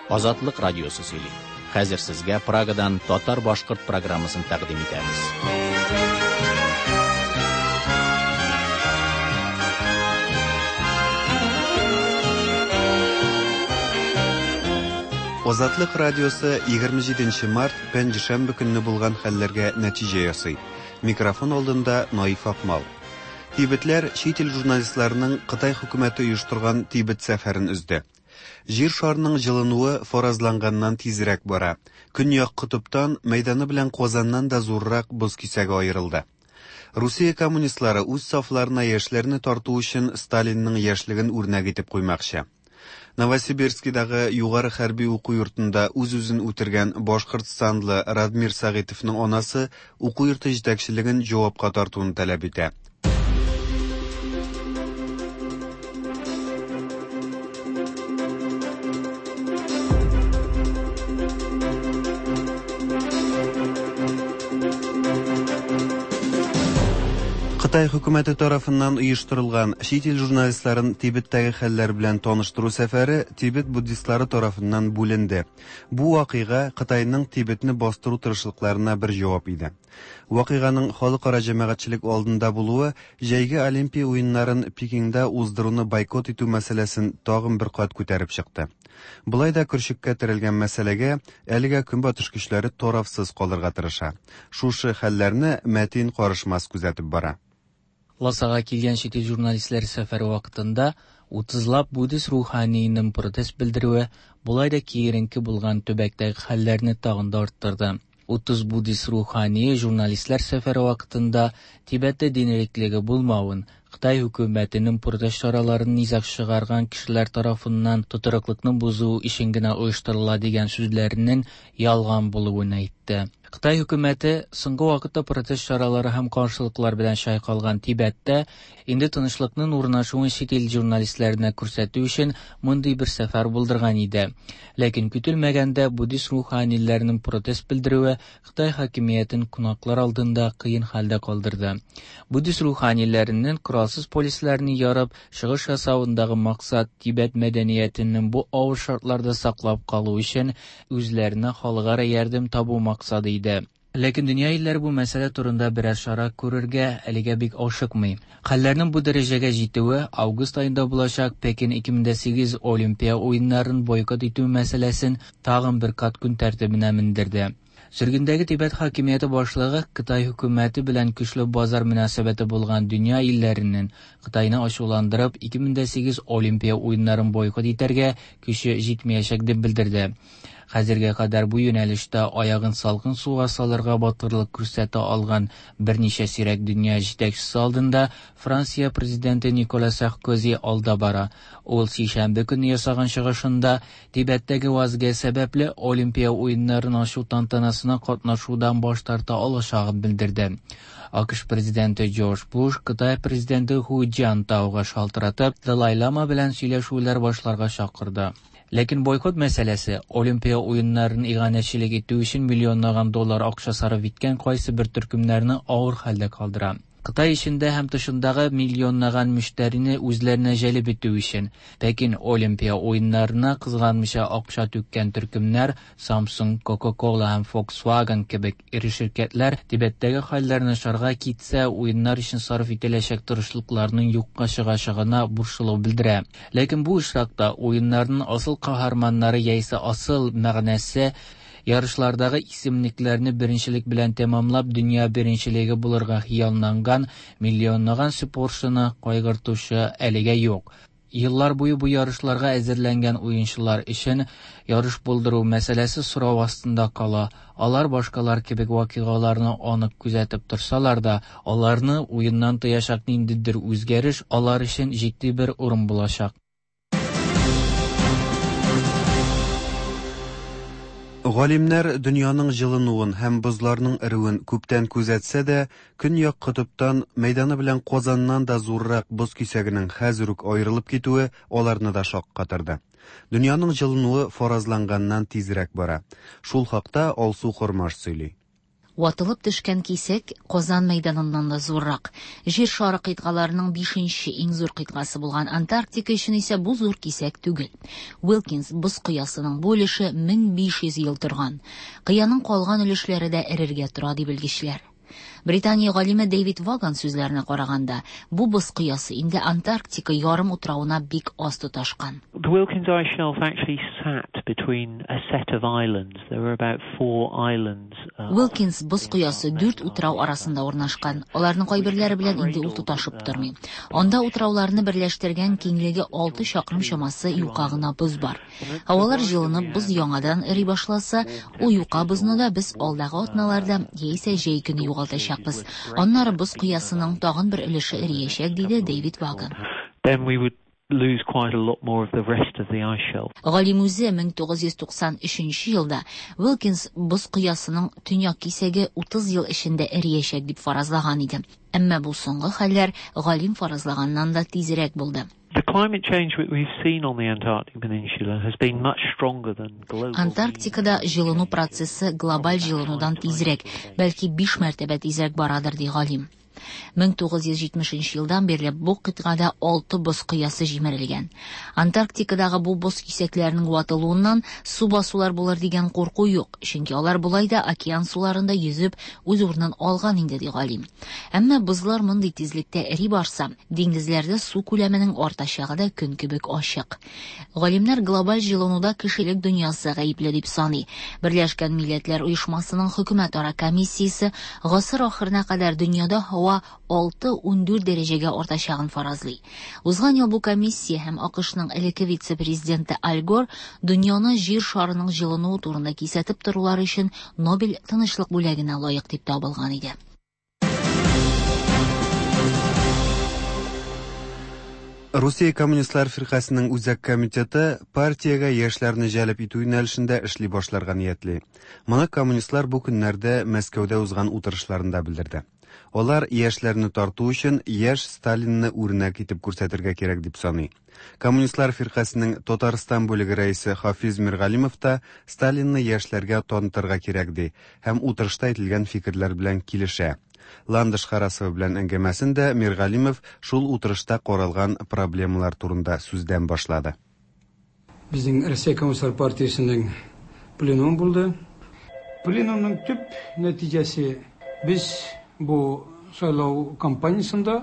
Азатлык радиосы сөйли. Хәзер сезгә Прагадан татар-башкорт программасын тәкъдим итәбез. Азатлык радиосы 27 март пәнҗешәмбе көнне булган хәлләргә нәтиҗә ясый. Микрофон алдында Наиф Акмал. Тибетләр чит ил журналистларының Кытай хөкүмәте оештырган Тибет сәфәрен өзде. Җир шарының җылынуы фаразланганнан тизрәк бара. Көньяк котыптан, мәйданы белән Казаннан да зуррак боз кисәге аерылды. Русия коммунистлары үз сафларына яшьләрне тарту өчен Сталинның яшьлеген үрнәк итеп куймакчы. Новосибирскидагы югары хәрби уку йортында үз-үзен үтергән башкортстанлы Радмир Сәгыйтовның анасы уку йорты җитәкчелеген җавапка тартуны таләп итә. Кытай хөкүмәте тарафыннан оештырылган чит ил журналистларын Тибеттәге хәлләр белән таныштыру сәфәре Тибет буддистлары тарафыннан бүленде. Бу вакыйга Кытайның Тибетне бастыру тырышлыкларына бер җавап иде. Вакыйганың халыкара җәмәгатьчелек алдында булуы җәйге Олимпия уеннарын Пекинда уздыруны бойкот итү мәсьәләсен тагын бер кат күтәреп чыкты. Болай да көрчеккә терәлгән мәсьәләгә әлегә Көнбатыш көчләре тарафсыз калырга тырыша. Шушы хәлләрне Мәтин Карышмас күзәтеп бара. Ласага килгән чит ил журналистлары сәфәре вакытында утызлап буддист руханиенең протест белдерүе болай да киеренке булган төбәктәге хәлләрне тагын да арттырды. 30 буддист рухание журналистлар сәфәре вакытында Тибеттә дин иреклеге булмавын, Кытай хөкүмәтенең протест чараларын низаг чыгарган кешеләр тарафыннан тотрыклыкны бозу өчен генә оештырыла дигән сүзләренең ялган булуын әйтте. Кытай хөкүмәте соңгы вакытта протест чаралары һәм каршылыклар белән чайкалган Тибеттә инде тынычлыкның урнашуын чит ил журналистларына күрсәтү өчен мондый бер сәфәр булдырган иде. Ләкин көтелмәгәндә буддист руханиләренең протест белдерүе Кытай хакимиятен кунаклар алдында кыен хәлдә калдырды. Буддист руханиләренең коралсыз полисләрне ярып чыгыш ясавындагы максат Тибет мәдәниятенең бу авыр шартларда саклап калу өчен үзләренә халыкара ярдәм табу максаты иде. Ләкин дөнья илләре бу мәсьәлә турында берәр чара күрергә әлегә бик ашыкмый. Хәлләрнең бу дәрәҗәгә җитүе август аенда булачак Пекин 2008 Олимпия уеннарын бойкот итү мәсьәләсен тагын бер кат көн тәртибенә мендерде. Сөргендәге Тибет хакимияте башлыгы Кытай хөкүмәте белән көчле базар мөнәсәбәте булган дөнья илләренең Кытайны ачуландырып 2008 Олимпия уеннарын бойкот итәргә көче җитмәячәк дип белдерде. Хәзергә кадәр бу юнәлештә аягын салкын суга салырга батырлык күрсәтә алган берничә сирәк дөнья җитәкчесе алдында Франция президенты Никола Саркози алда бара. Ул сишәмбе көнне ясаган чыгышында Тибеттәге вазгыять сәбәпле Олимпия уеннарын ачу тантанасына катнашудан баш тарта алачагын белдерде. АКШ президенты Джордж Буш Кытай президенты Ху Цзянтауга шалтыратып, Далай-лама белән сөйләшүләр башларга чакырды. Ләкин бойкот мәсьәләсе Олимпия уеннарын иганәчелек итү өчен миллионлаган доллар акча сарыф иткән кайсы бер төркемнәрне авыр хәлдә калдыра. Кытай эчендә һәм тышындагы миллионлаган мөштәрине үзләренә җәлеп итү өчен Пекин Олимпия уеннарына кызганмыйча акча түккән төркемнәр Samsung, Coca-Cola һәм Volkswagen кебек эре ширкәтләр Тибеттәге хәлләр начарга китсә, уеннар өчен сарыф ителәчәк тырышлыкларның юкка чыгачагына борчылу белдерә. Ләкин бу очракта уеннарның асыл каһарманнары яисә асыл мәгънәсе ярышлардагы исемлекләрне беренчелек белән тәмамлап дөнья беренчелеге булырга хыялланган миллионлаган спортчыны кайгыртучы әлегә юк. Еллар буе бу ярышларга әзерләнгән уенчылар өчен ярыш булдыру мәсьәләсе сорау астында кала. Алар башкалар кебек вакыйгаларны анык күзәтеп торсалар да, аларны уеннан тыячак ниндидер үзгәреш алар өчен җитди бер урын булачак. Галимнәр дөньяның җылынуын һәм бозларның эреүен күптән күзәтсә дә, Көньяк котыптан мәйданы белән Казаннан да зуррак боз кисәгенең хәзер үк аерылып китүе аларны да шаккатырды. Дөньяның җылынуы фаразланганнан тизрәк бара. Шул хакта Алсу Хормаш сөйли. Ватылып төшкән кисәк Казан мәйданыннан да зуррак. Җир шары кыйтгаларының бишенче иң зур кыйтгасы булган Антарктика өчен исә бу зур кисәк түгел. Уилкинс боз кыясының бу өлеше 1500 ел торган. Кыяның калган өлешләре дә эрергә тора, ди белгечләр. Британия галиме Дэвид Ваган сүзләренә караганда, бу боз кыясы инде Антарктика ярым утравына бик аз тоташкан. The Wilkins Ice Shelf actually sat between a set of islands. There were about four islands. Уилкинс боз кыясы дүрт утрау арасында урнашкан. Аларның кайберләре белән инде ул тоташып тормый. Анда утрауларны берләштергән киңлеге 6 чакрым чамасы юка гына боз бар. Һавалар җылынып, боз яңадан эри башласа, ул юка бозны да без алдагы атналарда яисә җәй көне югалтачакбыз. Аннары боз кыясының тагын бер өлеше эриячәк, диде Дэвид Ваган. Then we would lose quite a lot more of the rest of the ice shelf. Галим үзе 1993 елда Уилкинс боз кыясының төньяк кисәге 30 ел эчендә эриячәк дип фаразлаган иде. Әмма бу соңгы хәлләр галим фаразлаганнан да тизрәк булды. The climate change that we've seen on the Antarctic Peninsula has been much stronger than global. Антарктикада җылыну процессы глобаль җылынудан тизрәк, бәлки 5 мәртәбә тизрәк барадыр, ди галим. 1970 елдан бирле бу кыйтгада 6 боз кыясы җимерелгән. Антарктикадагы бу боз кисәкләренең ватылуыннан су басулар булыр дигән курку юк, чөнки алар болай да океан суларында йөзеп үз урынын алган инде, ди галим. Әмма бозлар мондый тизлектә эри барса, диңгезләрдә су күләменең артачагы да көн кебек ачык. Галимнәр глобаль җылынуда кешелек дөньясы гаепле дип саный. Берләшкән Милләтләр Оешмасының хөкүмәтара комиссиясе гасыр ахырына кадәр дөньяда һава 6-14 дәрәҗәгә артачагын фаразлый. Узган ел бу комиссия һәм АКШның элекке вице-президенты Аль Гор дөньяны җир шарының җылынуы турында кисәтеп торулары өчен Нобель тынычлык бүләгенә лаек дип табылган иде. Русия Коммунистлар фиркасының үзәк комитеты партиягә яшьләрне җәлеп итү юнәлешендә эшли башларга ниятли. Моны коммунистлар бу көннәрдә Мәскәүдә узган утырышларында белдерде. Алар яшьләрне тарту өчен яшь Сталинны үрнәк итеп күрсәтергә кирәк дип саный. Коммунистлар фиркасының Татарстан бүлеге рәисе Хафиз Миргалимов та Сталинны яшьләргә танытырга кирәк ди һәм утырышта әйтелгән фикерләр белән килешә. Ландыш Харасова белән әңгәмәсен дә Миргалимов шул утырышта каралган проблемалар турында сүздән башлады. Безнең Россия Коммунистлар партиясенең пленумы булды. Пленумның төп нәтиҗәсе без бу сайлау кампаниясендә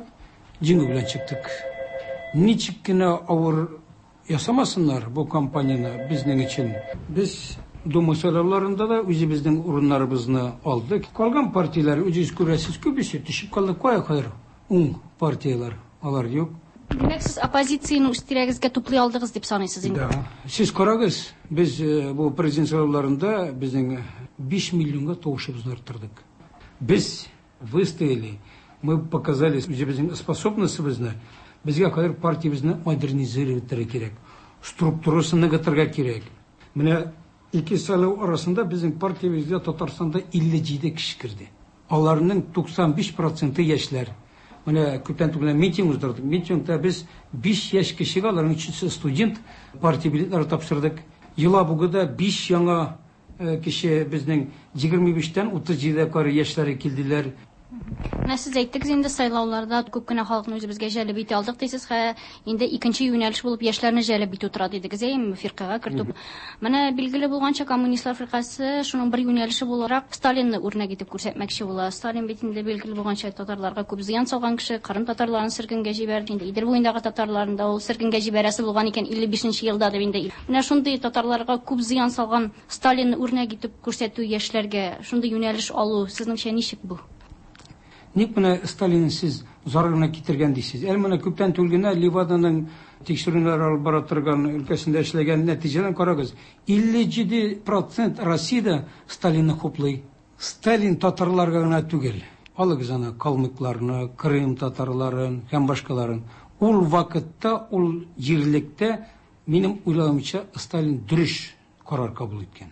җиңү белән чыктык. Ничек кенә авыр ясамасыннар бу кампанияне безнең өчен. Без Дума сайлауларында да үзебезнең урыннарыбызны алдык. Калган партияләр, үзегез күрәсез, күбесе төшеп калды. Кая кадәр уң партияләр, алар юк. Димәк, сез оппозицияне үз тирәгезгә туплый алдыгыз дип саныйсыз инде? Да. Сез карагыз, без бу президент сайлауларында безнең 5 миллионга тавышыбызны арттырдык. Без выстояли, мы показали үзебезнең способностебезне. Безгә хәзер партиябезне модернизировать кирәк, структурасын ныгытырга кирәк. Менә ике сайлау арасында безнең партиябезгә Татарстанда 57 кеше керде. Аларның 95% яшьләр. Менә күптән түгел митинг уздырдык. Митингта без 5 яшь кешегә, аларның өчесе студент, партия билетлары тапшырдык. Елабугада 5 яңа кеше безнең 25-тән 37-гә кадәр яшьләре килделәр. Менә сез әйттегез инде сайлауларда күп кенә халыкны үзебезгә җәлеп итә алдык дисез, хә инде икенче юнәлеш булып яшьләрне җәлеп итү тора дидегез, әйеме, фиркагә кертү. Менә билгеле булганча коммунистлар фиркасе шуның бер юнәлеше буларак Сталинны үрнәк итеп күрсәтмәкче була. Сталин бит инде билгеле булганча татарларга күп зыян салган кеше, Кырым татарларын сөргенгә җибәрде. Инде Идел буендагы татарларын да ул сөргенгә җибәрәсе булган икән 55 елда дип инде. Менә шундый татарларга күп зыян салган Сталинны үрнәк итеп күрсәтү яшьләргә шундый юнәлеш алу сезнеңчә ничек бу? Ник менә Сталин сез зарарына китергән дисез? Әле менә күптән түгел генә Леваданың тикшерүләр алып бара торган өлкәсендә эшләгән нәтиҗәләрен карагыз. 57% Россиядә Сталинны хуплый. Сталин татарларга гына түгел. Алыгыз аны калмыкларны, Крым татарларын һәм башкаларын. Ул вакытта, ул җирлектә, минем уйлавымча, Сталин дөрес карар кабул иткән.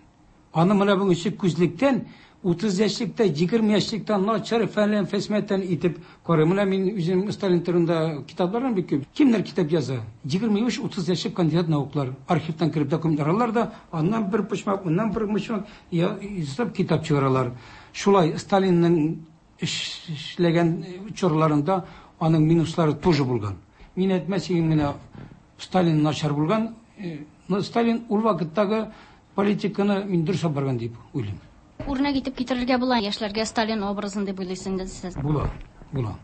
Аны менә бүгенге күзлектән 30 яшьлектә, 20 яшьлектә начар фәлән фәсмәтән итеп карый. Менә мин үзем Сталин турында китапларым бик күп. Кемнәр китап яза? 25-30 яшьлек кандидат науклар. Архивтан кереп документлар алалар да, аннан бер почмак, моннан бер почмак ясап китап чыгаралар. Шулай Сталинның эшләгән чорларында аның минуслары тоже булган. Мин әйтмәс идем генә Сталин начар булган. Но Сталин ул вакыттагы политиканы мин дөрес алып барган дип уйлыйм. Үрнәк итеп китерергә була яшьләргә Сталин образын дип уйлыйсыз инде сез. Була, була.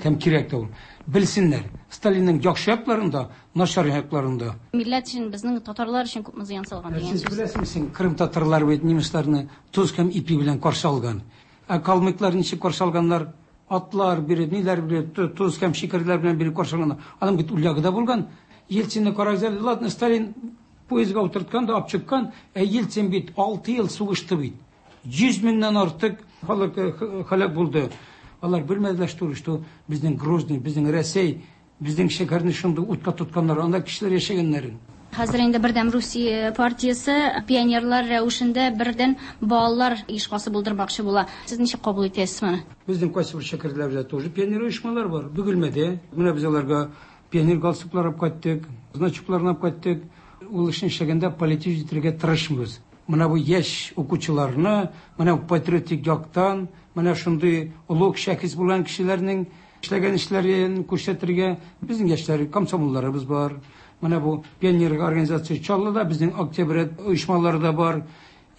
Һәм кирәк тә ул. Белсеннәр, Сталинның яхшы якларын да, начар якларын да. Милләт өчен, безнең татарлар өчен күпме зыян салган дигән Сез сүз. беләсезме, син Крым татарлары бит немецларны тоз һәм ипи белән каршы алган. Ә калмыклар ничек каршы алганнар? Атлар биреп, ниләр биреп, тоз һәм шикәрләр белән биреп каршы алганнар. Аның бит ул ягы да булган. Ельцинны карагыз әле, ладно, Сталин поездга утырткан да алып чыккан, ә Ельцин бит 6 ел сугышты бит. 100 меңнән артык халык һәлак булды. Алар белмәделәр, что, что безнең Грозный, безнең Рәсәй, безнең шәһәрне шундый утка тотканнар, анда кешеләр яшәгәннәрен. Хәзер инде Бердәм Русия партиясе пионерлар рәвешендә бердән балалар оешмасы булдырмакчы була. Сез ничек кабул итәсез моны? Безнең кайсы бер шәһәрләрдә тоже пионер оешмалар бар. Бөгелмәдә. Менә без аларга пионер галстуклар алып кайттык, значокларын алып кайттык. Ул эшне эшләгәндә политик итәргә тырышмыйбыз. Менә бу яшь укучыларны, менә бу патриотик яктан, менә шундый олуг шәхес булган кешеләрнең эшләгән эшләрен күрсәтергә безнең яшьләр комсомолларыбыз бар. Менә бу пионер организация Чаллыда безнең октябрь оешмалары да бар.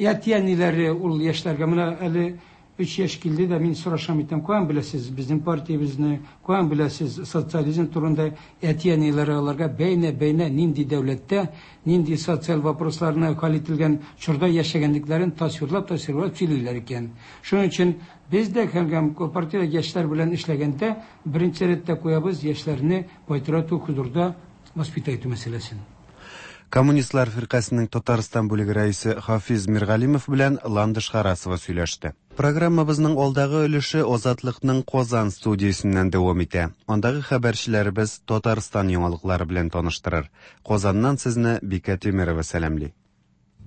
Әти-әниләре ул яшьләргә менә әле 3 яшь килде дә мин сорашам итәм, каян беләсез безнең партиябезне, каян беләсез социализм турында? Әти-әниләре аларга бәйнә-бәйнә нинди дәүләттә, нинди социаль вопросларны хәл ителгән чорда яшәгәнлекләрен тасвирлап-тасвирлап сөйлиләр икән. Шуның өчен без дә һәм партия яшьләр белән эшләгәндә беренче рәттә куябыз яшьләрне патриотик хозурда воспитать итү мәсьәләсен. Коммунистлар фиркасының Татарстан бүлеге рәисе Хафиз Миргалимов белән Ландыш Харасова сөйләште. Программабызның алдагы өлеше Азатлыкның Казан студиясеннән дәвам итә. Андагы хәбәрчеләребез Татарстан яңалыклары белән таныштырыр. Казаннан сезне Бикә Тимерова сәламли.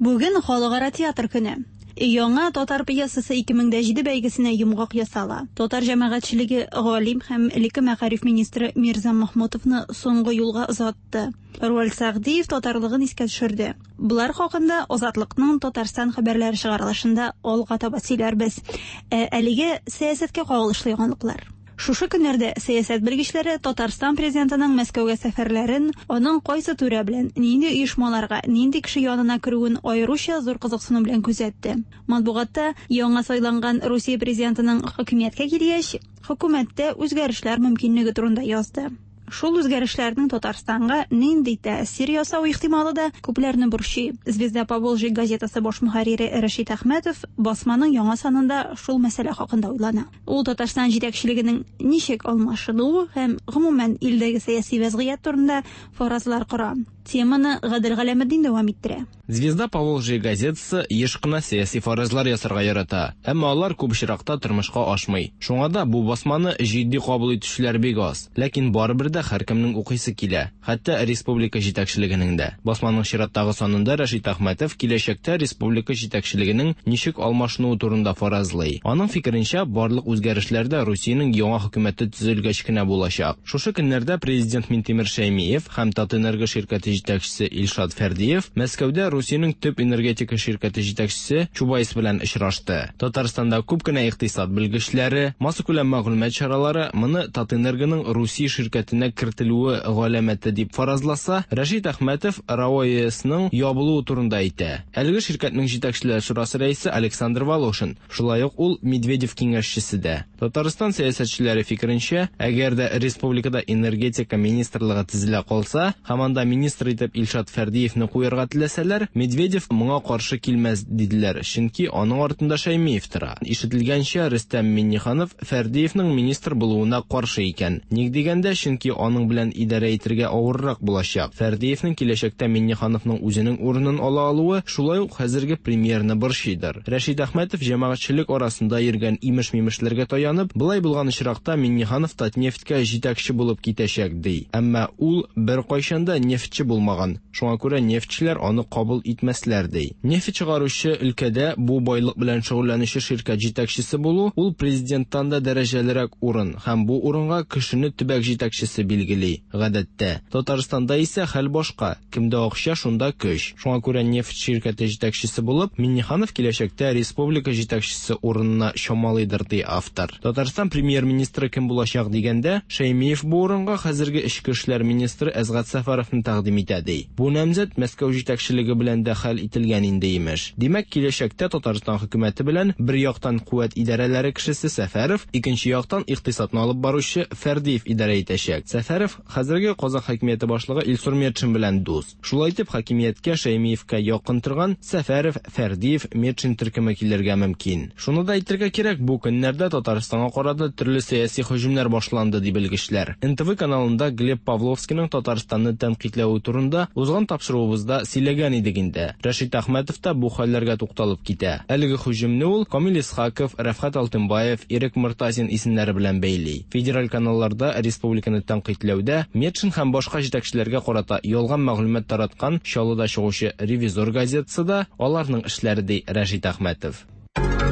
Бүген Халыкара театр көне. Яңа татар пьесасы 2007 бәйгесенә йомгак ясала. Татар җәмәгатьчелеге галим һәм элекке мәгариф министры Мирза Махмутовны соңгы юлга озатты. Руаль Сәгъдиев татарлыгын искә төшерде. Болар хакында Азатлыкның Татарстан хәбәрләре чыгарылышында алга таба сөйләрбез. Ә әлегә сәясәткә кагылышлы яңалыклар. Шушы көннәрдә сәясәт белгечләре Татарстан президентының Мәскәүгә сәфәрләрен, аның кайсы түрә белән, нинди оешмаларга, нинди кеше янына керүен аеруча зур кызыксыну белән күзәтте. Матбугатта яңа сайланган Русия президентының хакимияткә килгәч, хөкүмәттә үзгәрешләр мөмкинлеге турында язды. Шул үзгәрешләрнең Татарстанга нинди тәэсир ясау ихтималы да күпләрне борчый. Звезда Поволжья газетасы баш мөхәррире Рәшит Әхмәтов басманың яңа санында шул мәсьәлә хакында уйлана. Ул Татарстан җитәкчелегенең ничек алмашынуы һәм гомумән илдәге сәяси вәзгыять турында фаразлар кора. Теманы Гадел Галәметдин дәвам иттерә. Звезда Поволжья газетасы еш кына сәяси фаразлар ясарга ярата, әмма алар күп очракта тормышка ашмый. Шуңа да бу басманы җитди кабул итүчеләр бик аз. Ләкин барыбер дә һәркемнең укыйсы килә, хәтта республика җитәкчелегенең дә. Басманың чираттагы санында Рәшит Әхмәтов киләчәктә республика җитәкчелегенең ничек алмашынуы турында фаразлый. Аның фикеренчә, барлык үзгәрешләр дә Русиянең яңа хөкүмәте төзелгәч кенә булачак. Шушы көннәрдә президент Минтимер Шәймиев һәм Татэнерго ширкәте җитәкчесе Илшат Фәрдиев Мәскәүдә Русиянең төп энергетика ширкәте җитәкчесе Чубайс белән очрашты. Татарстанда күп кенә икътисад белгечләре, массакүләм мәгълүмат чаралары моны Татэнергоның Русия ширкәтенә кертелүе галәмәте дип фаразласа, Рәшит Әхмәтов РАО ЕСның ябылуы турында әйтә. Әлеге ширкәтнең җитәкчеләр шурасы рәисе Александр Волошин, шулай ук ул Медведев киңәшчесе дә. Татарстан сәясәтчеләре фикеренчә, әгәр дә республикада энергетика министрлыгы төзелә калса, һәм анда министр итеп Илшат Фәрдиевне куярга теләсәләр, Медведев моңа каршы килмәс диделәр, чөнки аның артында Шәймиев тора. Ишетелгәнчә, Рөстәм Миңнеханов Фәрдиевнең министр булуына каршы икән. Ник дигәндә, чөнки аның белән идарә итәргә авыррак булачак. Фәрдиевнең киләчәктә Миңнехановның үзенең урынын ала алуы шулай ук хәзерге премьерны борчыйдыр. Рәшит Әхмәтов җәмәгатьчелек арасында йөргән имеш-мимешләргә таянып, былай булган очракта Миңнеханов Татнефтькә җитәкче булып китәчәк ди. Әмма ул беркайчан да нефтьче булмаган. Шуңа күрә нефтьчеләр аны кабул итмәсләр ди. Нефть чыгаручы өлкәдә бу байлык белән шөгыльләнүче ширкәт җитәкчесе булу ул президенттан да дәрәҗәлерәк урын һәм бу урынга кешене төбәк җитәкчесе билгели, гадәттә. Татарстанда исә хәл башка, кемдә акча, шунда көч. Шуңа күрә нефть ширкәте җитәкчесе булып, Миңнеханов киләчәктә республика җитәкчесе урынына чамалыйдыр, ди автор. Татарстан премьер-министры кем булачак дигәндә, Шәймиев бу урынга хәзерге эчке эшләр министры Әсгать Сәфәровны тәкъдим итә, ди. Бу намзәт Мәскәү җитәкчелеге белән дә хәл ителгән инде, имеш. Димәк, киләчәктә Татарстан хөкүмәте белән бер яктан куәт идарәләре кешесе Сәфәров, икенче яктан икътисадны алып баручы Фәрдиев идарә итәчәк. Сәфәров хәзерге Казан хакимияте башлыгы Илсур Метшин белән дус. Шулай итеп, хакимияткә Шәймиевкә якын торган Сәфәров, Фәрдиев, Метшин төркеме килергә мөмкин. Шуны да әйтергә кирәк, бу көннәрдә Татарстанга карата төрле сәяси һөҗүмнәр башланды, ди белгечләр. НТВ каналында Глеб Павловскийның Татарстанны тәнкыйтьләве турында узган тапшыруыбызда сөйләгән идек инде. Рәшит Әхмәтов та бу хәлләргә тукталып китә. Әлеге һөҗүмне ул Камил Исхаков, Рәфхәт Алтынбаев, Ирек Мортазин исемнәре белән бәйли. Федераль каналларда республиканы тәнкыйтьләүдә Метшин һәм башка җитәкчеләргә карата ялган мәгълүмат тараткан Чаллыда чыгучы Ревизор газетасы да аларның эшләре, ди Рәшит Әхмәтов.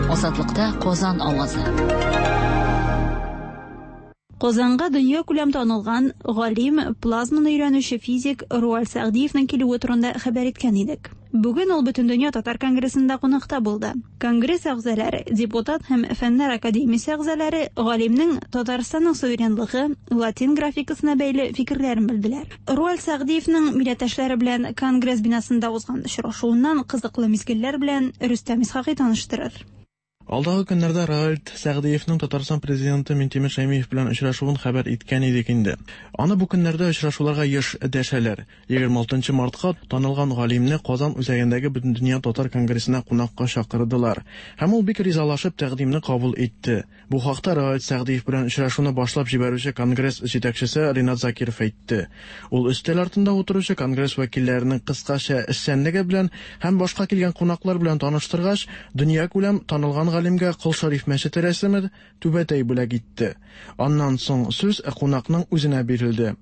Азатлыкта Казан авазы. Казанга дөньякүләм танылган галим, плазманы өйрәнүче физик Руаль Сәгъдиевнең килүе турында хәбәр иткән идек. Бүген ул Бөтендөнья татар конгрессында кунакта булды. Конгресс әгъзалары, депутат һәм Фәннәр академиясе әгъзалары галимнең Татарстанның суверенлыгы, латин графикасына бәйле фикерләрен белделәр. Руаль Сәгъдиевнең милләттәшләре белән Конгресс бинасында узган очрашуыннан кызыклы мизгелләр белән Рөстәм Исхакый таныштырыр. Алдагы көннәрдә Роальд Сәгъдиевның Татарстан президенты Минтимер Шәймиев белән очрашуын хәбәр иткән идек инде. Аны бу көннәрдә очрашуларга еш дәшәләр. 26 мартка танылган галимне Казан үзәгендәге Бөтендөнья татар конгрессына кунакка чакырдылар. Һәм ул бик ризалашып тәкъдимне кабул итте. Бу хакта Роальд Сәгъдиев белән очрашуны башлап җибәрүче конгресс җитәкчесе Ринат Закиров әйтте. Ул өстәл артында утыручы конгресс вәкилләренең кыскача эшчәнлеге белән һәм башка килгән кунаклар белән таныштыргач, дөньякүләм танылган галимгә Кол Шәриф мәчете рәсеме, түбәтәй бүләк итте. Аннан соң сүз кунакның үзенә бирелде.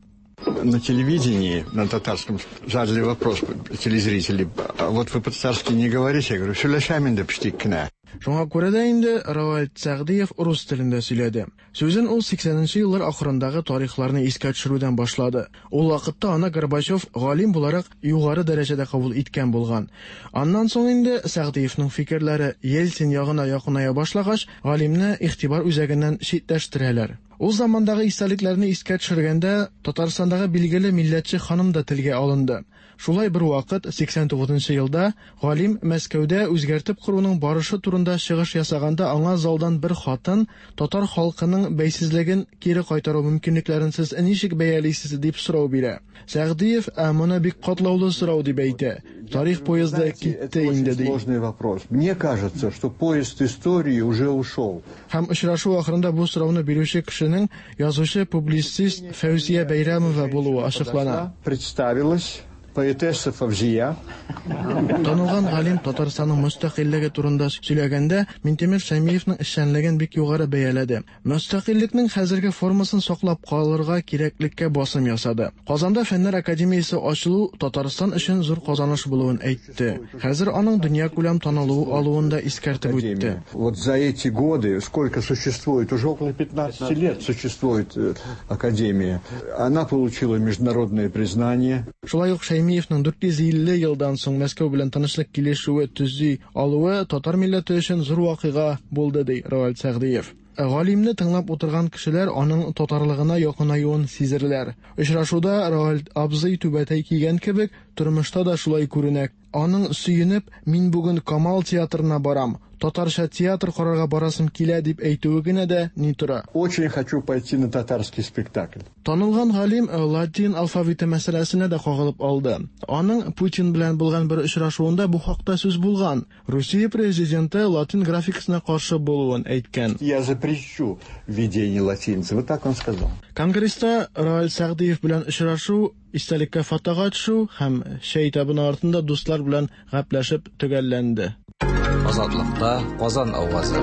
На телевидении, на татарском, задали вопрос телезрители. А вот вы по-татарски не говорите? Я говорю, сөйләшәм инде печтик кенә. Шуңа күрә дә инде Равальд Сәгъдиев рус телендә сөйләде. Сүзен ул 80 нче еллар ахырындагы тарихларны искә төшерүдән башлады. Ул вакытта аны Горбачев галим буларак югары дәрәҗәдә кабул иткән булган. Аннан соң инде Сәгъдиевның фикерләре Ельцин ягына якыная башлагач, галимне игътибар үзәгеннән читләштерәләр. Ул замандагы истәлекләрне искә төшергәндә, Татарстандагы билгеле милләтче ханым да телгә алынды. Шулай бервакыт, 89 нчы елда, галим Мәскәүдә үзгәртеп коруның барышы турында чыгыш ясаганда аңа залдан бер хатын, татар халкының бәйсезлеген кире кайтару мөмкинлекләрен сез ничек бәялисез, дип сорау бирә. Сәгъдиев, ә моны бик катлаулы сорау дип әйтә. Тарих поезды китте инде, ди. Сложный вопрос. Мне кажется, что поезд истории уже ушел. Һәм очрашу ахырында бу сорауны бирүче кешенең язучы-публицист Фәүзия Бәйрәмова булуы ачыклана. Представилась поэтесса Фавзия. Танылган галим Татарстанның мөстәкыйльлеге турында сөйләгәндә, Минтимер Шәймиевның эшчәнлеген бик югары бәяләде. Мөстәкыйльлекнең хәзерге формасын саклап калырга кирәклеккә басым ясады. Казанда Фәннәр академиясе ачылу Татарстан өчен зур казаныш булуын әйтте. Хәзер аның дөньякүләм танылу алуын да искәртеп үтте. Вот за эти годы, сколько существует, уже около 15 лет существует э, академия, она получила международное признание. Шулай ук Шәймиевның 450 елдан соң Мәскәү белән тынычлык килешүе төзи алуы татар милләте өчен зур вакыйга булды, ди Равил Сәгъдиев. Галимне тыңлап утырган кешеләр аның татарлыгына якынаюын сизерләр. Очрашуда Равил абзый түбәтәй кигән кебек, тормышта да шулай күренә. Аның сөенеп, мин бүген Камал театрына барам, татарча театр карарга барасым килә дип әйтүе генә дә ни тора. Очень хочу пойти на татарский спектакль. Танылган галим э, латин алфавиты мәсьәләсенә дә кагылып алды. Аның Путин белән булган бер очрашуында бу хакта сүз булган. Русия президенты латин графикасына каршы булуын әйткән. Я запрещу введение латиницы. Вот так он сказал. Конгресста Раиль Сәгъдиев белән очрашу истәлеккә фотога төшү һәм чәй табыны артында дуслар белән гәпләшеп төгәлләнде. Азатлыкта Казан авазы.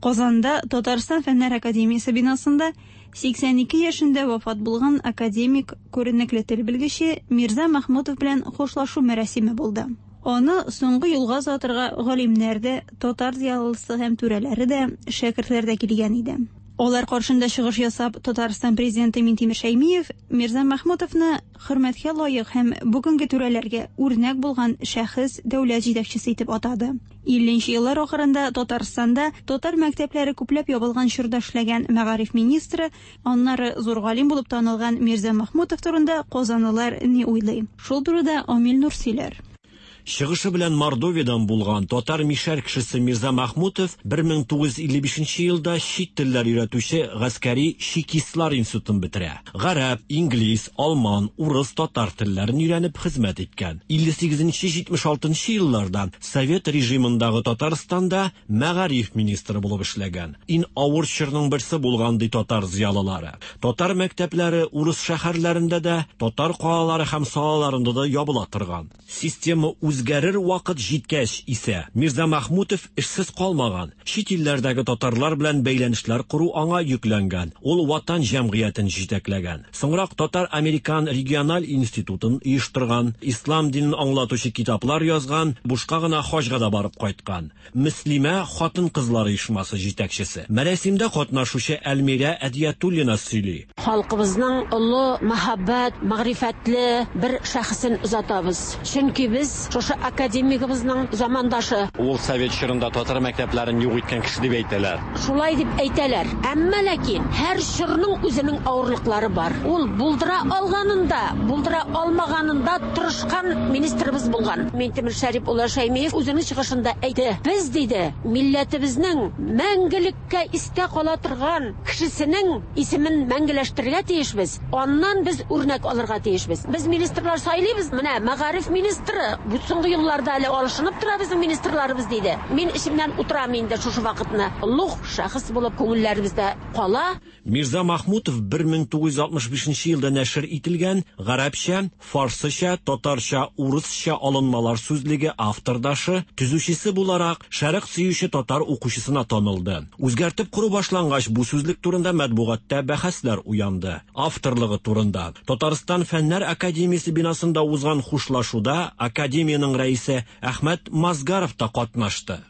Казанда Татарстан Фәннәр академиясе бинасында 82 яшендә вафат булган академик, күренекле тел белгече Мирза Мәхмүтов белән хушлашу мәрасиме булды. Аны соңгы юлга озатырга галимнәр дә, татар зыялысы һәм түрәләре дә, шәкертләр дә килгән иде. Алар каршында чыгыш ясап, Татарстан президенты Минтимер Шәймиев Мирза Мәхмүтовны хөрмәткә лаек һәм бүгенге түрәләргә үрнәк булган шәхес, дәүләт җитәкчесе итеп атады. 50 нче еллар ахырында Татарстанда татар мәктәпләре күпләп ябылган чорда эшләгән мәгариф министры, аннары зур галим булып танылган Мирза Мәхмүтов турында казанлылар ни уйлый? Шул турыда Амил Нур сөйләр. Чыгышы белән Мордовиядән булган татар-мишәр кешесе Мирза Мәхмүтов 1955 елда чит телләр өйрәтүче гаскәри чекистлар институтын бетерә. Гарәп, инглиз, алман, урыс, татар телләрен өйрәнеп хезмәт иткән. 58-76 елларда совет режимындагы Татарстанда мәгариф министры булып эшләгән. Ин авыр чорның берсе булган, ди татар зыялылары. Татар мәктәпләре урыс шәһәрләрендә дә, татар калалары һәм салаларында да ябыла торган. Система үзгәрер вакыт җиткәч исә, Мирза Мәхмүтов эшсез калмаган. Чит илләрдәге татарлар белән бәйләнешләр кору аңа йөкләнгән. Ул Ватан җәмгыятен җитәкләгән. Соңрак Татар-американ региональ институтын оештырган, ислам динен аңлатучы китаплар язган, бушка гына хаҗга да барып кайткан. Мөслимә хатын-кызлар оешмасы җитәкчесе. Мәрәсимдә катнашучы Әлмирә Әдиятуллина сөйли. Халкыбызның олы, мәһабәт, мәгърифәтле бер шәхесен озатабыз. Чөнки без шушы академигыбызның замандашы. Ул совет чорында татар мәктәпләрен юк иткән кеше дип әйтәләр. Шулай дип әйтәләр. Әмма ләкин һәр чорның үзенең авырлыклары бар. Ул булдыра алганын да, булдыра алмаганын да тырышкан министрыбыз булган. Минтимер Шәрип улы Шәймиев үзенең чыгышында әйтте, без, диде, милләтебезнең мәңгелеккә истә кала торган кешесенең исемен мәңгеләштерергә тиешбез, аннан без үрнәк алырга тиешбез. Без министрлар сайлыйбыз, менә мәгариф министры, бу соңгы елларда әле алышынып тора безнең министрларыбыз, диде. Мин эчемнән утырам инде шушы вакытны. Олуг шәхес булып күңелләребездә кала. Мирза Махмутов 1965 елда нәшер ителгән Гарәпчә, фарсыча, татарча, урысча алынмалар сүзлеге автордашы, төзүчесе буларак шәрык сөюче татар укучысына танылды. Үзгәртеп кору башлангач, бу сүзлек турында матбугатта бәхәсләр уянды. Авторлыгы турында Татарстан Фәннәр академиясе бинасында узган хушлашуда академиянең рәисе Әхмәт Мазгаров та катнашты.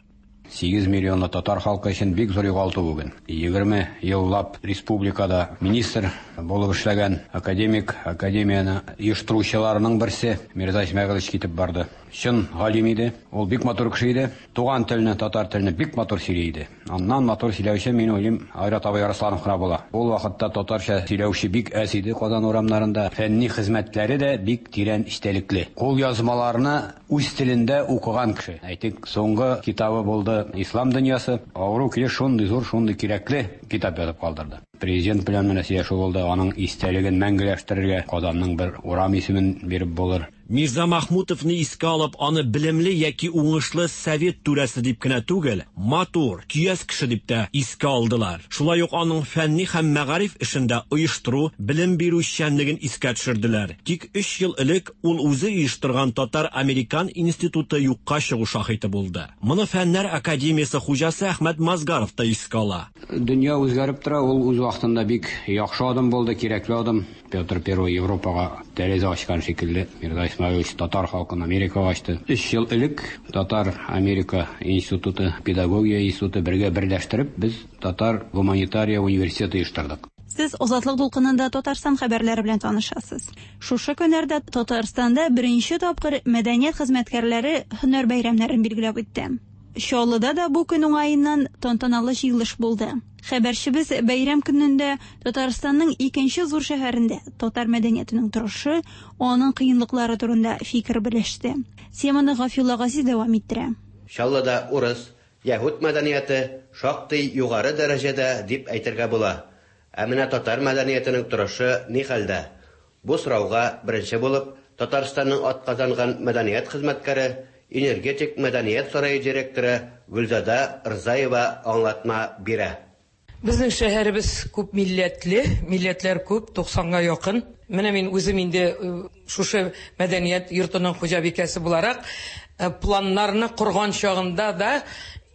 8 миллионлы татар халкы өчен бик зур югалту бүген. 20 еллап республикада министр булып эшләгән академик, академияне оештыручыларның берсе Мирза Исмәгыйлович китеп барды. Чын галим иде, ул бик матур кеше иде. Туган телне, татар телне бик матур сөйли иде. Аннан матур сөйләүче, мин уйлыйм, Айрат абый Арсланов кына була. Ул вакытта татарча сөйләүче бик әз иде Казан урамнарында. Фәнни хезмәтләре дә бик тирән эчтәлекле. Кулъязмаларны үз телендә укыган кеше. Әйтик, соңгы китабы булды Ислам дөньясы. Авыру килеш шундый зур, шундый кирәкле китап язып калдырды. Президент белән менә сөйләшү булды, аның истәлеген мәңгеләштерергә Казанның бер урам исемен биреп булыр. Мирза Махмутовны искә алып, аны белемле яки уңышлы совет түрәсе дип кенә түгел, матур, көяз кеше дип тә искә алдылар. Шулай ук аның фәнни һәм мәгариф эшендә оештыру, белем бирү эшчәнлеген искә төшерделәр. Тик өч ел элек ул үзе оештырган Татар-американ институты юкка чыгу шаһиты булды. Моны Фәннәр академиясе хуҗасы Әхмәт Мазгаров та искә ала. Дөнья үзгәреп тора, ул үз вакытында бик яхшы адым булды, кирәкле адым. Петр Первый Европага тәрәзә ачкан шикелле, Мирза Исмәгыйлевич татар халкын Америкага ачты. Өч ел элек Татар-Америка институты, педагогия институты бергә берләштереп, без Татар гуманитария университеты оештырдык. Сез Азатлык дулкынында Татарстан хәбәрләре белән танышасыз. Шушы көннәрдә Татарстанда беренче тапкыр мәдәният хезмәткәрләре һөнәр бәйрәмнәрен билгеләп үтте. Чаллыда да бу көн уңаеннан тантаналы җыелыш булды. Хәбәрчебез бәйрәм көнендә Татарстанның икенче зур шәһәрендә татар мәдәниятенең торышы, аның кыенлыклары турында фикер белеште. Теманы Гафиулла Газиз дәвам иттерә. Чаллыда урыс, яһүд мәдәнияте шактый югары дәрәҗәдә дип әйтергә була. Ә менә татар мәдәниятенең торышы ни хәлдә? Бу сорауга беренче булып Татарстанның атказанган мәдәният хезмәткәре, Энергетик мәдәният сарае директоры Гөлзада Рзаева аңлатма бирә. Безнең шәһәребез күп милләтле, милләтләр күп, 90-га якын. Менә мин үзем инде шушы мәдәният йортының хуҗабикәсе буларак, планнарны корган чагында да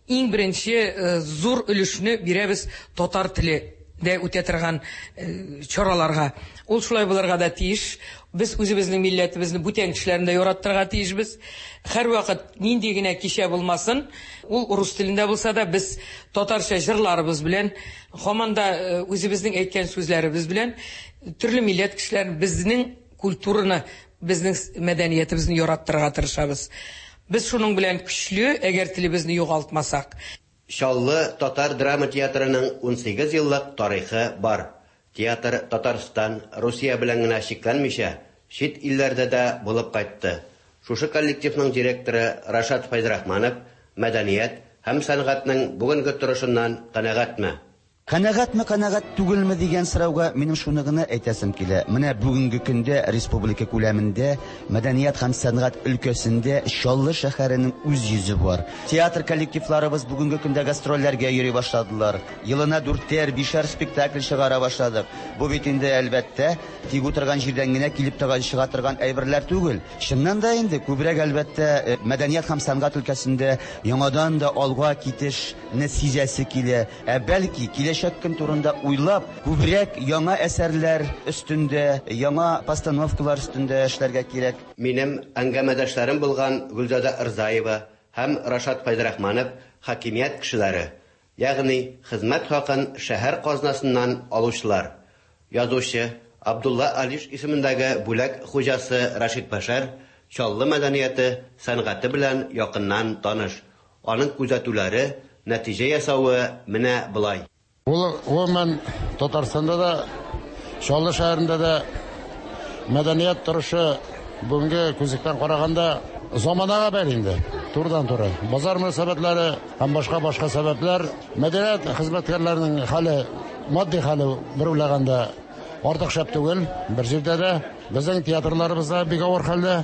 иң беренче зур өлешне бирәбез татар теле дә үтә торган чараларга. Ул шулай булырга да тиеш. Без үзебезнең милләтебезне бүтән кешеләрне дә яраттырырга тиешбез. Һәрвакыт нинди генә кичә булмасын, ул рус телендә булса да, без татарча җырларыбыз белән, һаман да үзебезнең әйткән сүзләребез белән төрле милләт кешеләрен безнең культураны, безнең мәдәниятебезне яраттырырга тырышабыз. Без шуның белән көчле, әгәр телебезне югалтмасак. Чаллы татар драма театрының 18 еллык тарихы бар. Театр Татарстан, Русия белән генә чикләнмичә, чит илләрдә дә булып кайтты. Шушы коллективның директоры Рашат Фәйзрахманов мәдәният һәм сәнгатьнең бүгенге торышыннан канәгатьме? Канәгатьме, канәгать түгелме дигән сорауга минем шуны гына әйтәсем килә. Менә бүгенге көндә республика күләмендә мәдәният һәм сәнгать өлкәсендә Чаллы шәһәренең үз йөзе бар. Театр коллективларыбыз бүгенге көндә гастрольләргә йөри башладылар. Елына дүртәр, бишәр спектакль чыгара башладык. Бу бит инде, әлбәттә, тик утырган җирдән генә килеп чыга торган әйберләр түгел. Чыннан да инде күбрәк, әлбәттә, мәдәният һәм сәнгать өлкәсендә яңадан да алга китешне сизәсе килә. Ә бәлки киләчәк көн турында уйлап, күбрәк яңа әсәрләр өстендә, яңа постановкалар өстендә эшләргә кирәк. Минем әңгәмәдәшләрем булган Гөлзада Рзаева һәм Рашат Фәйзрахманов хакимият кешеләре, ягъни хезмәт хакын шәһәр казнасыннан алучылар. Язучы Абдулла Алиш исемендәге бүләк хуҗасы Рашид Бәшәр Чаллы мәдәнияте, сәнгате белән якыннан таныш. Аның күзәтүләре, нәтиҗә ясавы менә болай. Ул гомумән Татарстанда да, Чаллы шәһәрендә дә мәдәният торышы бүгенге күзлектән караганда заманага бәйле инде, турыдан-туры. Базар мөнәсәбәтләре һәм башка-башка сәбәпләр, мәдәният хезмәткәрләренең хәле, матди хәле бер уйлаганда артык шәп түгел, бер җирдә дә. Безнең театрларыбыз да бик авыр хәлдә.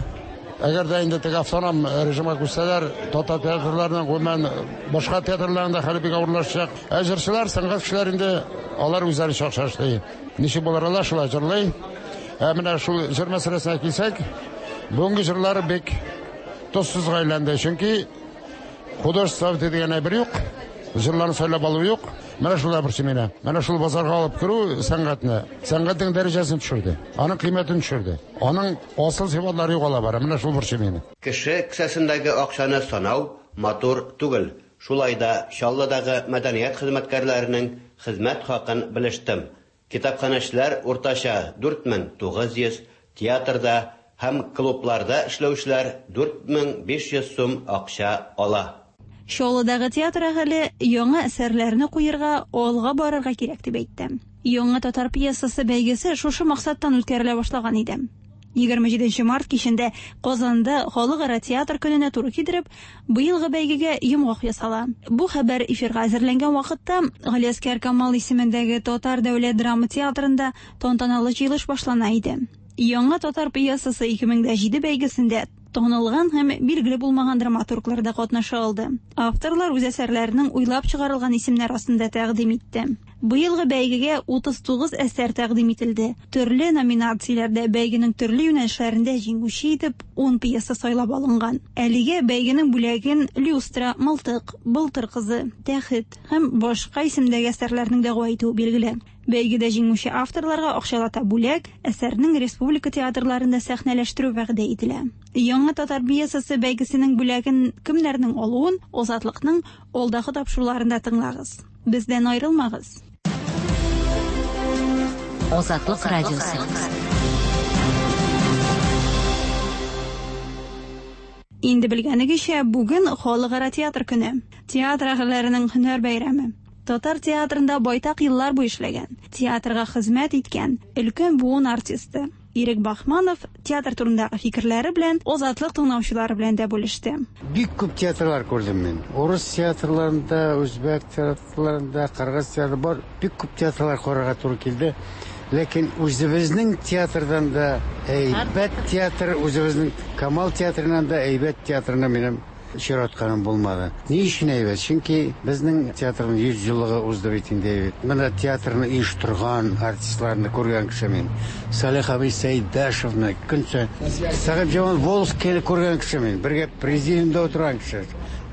Әгәр дә инде теге автоном режимга күчсәләр, татар театрларының, гомумән, башка театрларның да хәле бик авырлашачак. Ә җырчылар, сәнгать кешеләре инде алар үзләре чакча эшли. Ничек булыр алар, шулай җырлый. Ә менә шул җыр мәсьәләсенә килсәк, бүгенге җырлар бик тозсызга әйләнде. Чөнки художество дигән әйбер юк, җырларны сайлап алу юк. Менә шулар борчый мине. Менә шул базарга алып керү сәнгатьне, сәнгатьнең дәрәҗәсен төшерде, аның кыйммәтен төшерде. Аның асыл сыйфатлары югала бара. Менә шул борчый мине. Кеше кесәсендәге акчаны санау матур түгел. Шулай да Чаллыдагы мәдәният хезмәткәрләренең хезмәт хакын белештем. Китапханәчеләр уртача 4900, театрда һәм клубларда эшләүчеләр 4500 сум акча ала. Чаллыдагы театр әһеле яңа әсәрләрне куярга, алга барырга кирәк дип әйтте. Яңа татар пьесасы бәйгесе шушы максаттан үткәрелә башлаган иде. 27 март кичендә Казанда Халыкара театр көненә туры китереп, быелгы бәйгегә йомгак ясала. Бу хәбәр эфирга әзерләнгән вакытта Галиәсгар Камал исемендәге Татар дәүләт драма театрында тантаналы җыелыш башлана иде. Яңа татар пьесасы 2007 бәйгесендә танылган һәм билгеле булмаган драматурглар да катнаша алды. Авторлар үз әсәрләренең уйлап чыгарылган исемнәр астында тәкъдим итте. Быелгы бәйгегә 39 әсәр тәкъдим ителде. Төрле номинацияләрдә бәйгенең төрле юнәлешләрендә җиңүче итеп 10 пьеса сайлап алынган. Әлегә бәйгенең бүләген Люстра, Мылтык, Былтыр кызы, Тәхет һәм башка исемдәге әсәрләрнең дәгъва итүе билгеле. Бәйгедә җиңүче авторларга акчалата бүләк, әсәрнең республика театрларында сәхнәләштерү вәгъдә ителә. Яңа татар пьесасы бәйгесенең бүләген кемнәрнең алуын Азатлыкның алдагы тапшыруларында тыңлагыз. Бездән аерылмагыз. Азатлык радиосы. Инде белгәнегезчә, бүген Халыкара театр көне. Театр әһелләренең һөнәр бәйрәме. Татар театрында байтак еллар буе эшләгән, театрга хезмәт иткән өлкән буын артисты Ирек Бахманов театр турындагы фикерләре белән Азатлык тыңлаучылары белән дә бүлеште. Бик күп театрлар күрдем мин. Урыс театрларында, үзбәк театрларында, кыргыз театры бар. Бик күп театрлар карарга туры килде. Ләкин үзебезнең театрдан да әйбәт театр, үзебезнең Камал театрыннан да әйбәт театрына минем очратканым булмады. Ни өчен әйбәт? Чөнки безнең театрның 100 еллыгы узды бит инде. Менә театрны оештырган артистларны күргән кеше мин. Салих абый Сәйдәшевны, көнчә Сәхибҗамал Волжскийны күргән кеше мин. Бергә президиумда утырган кеше.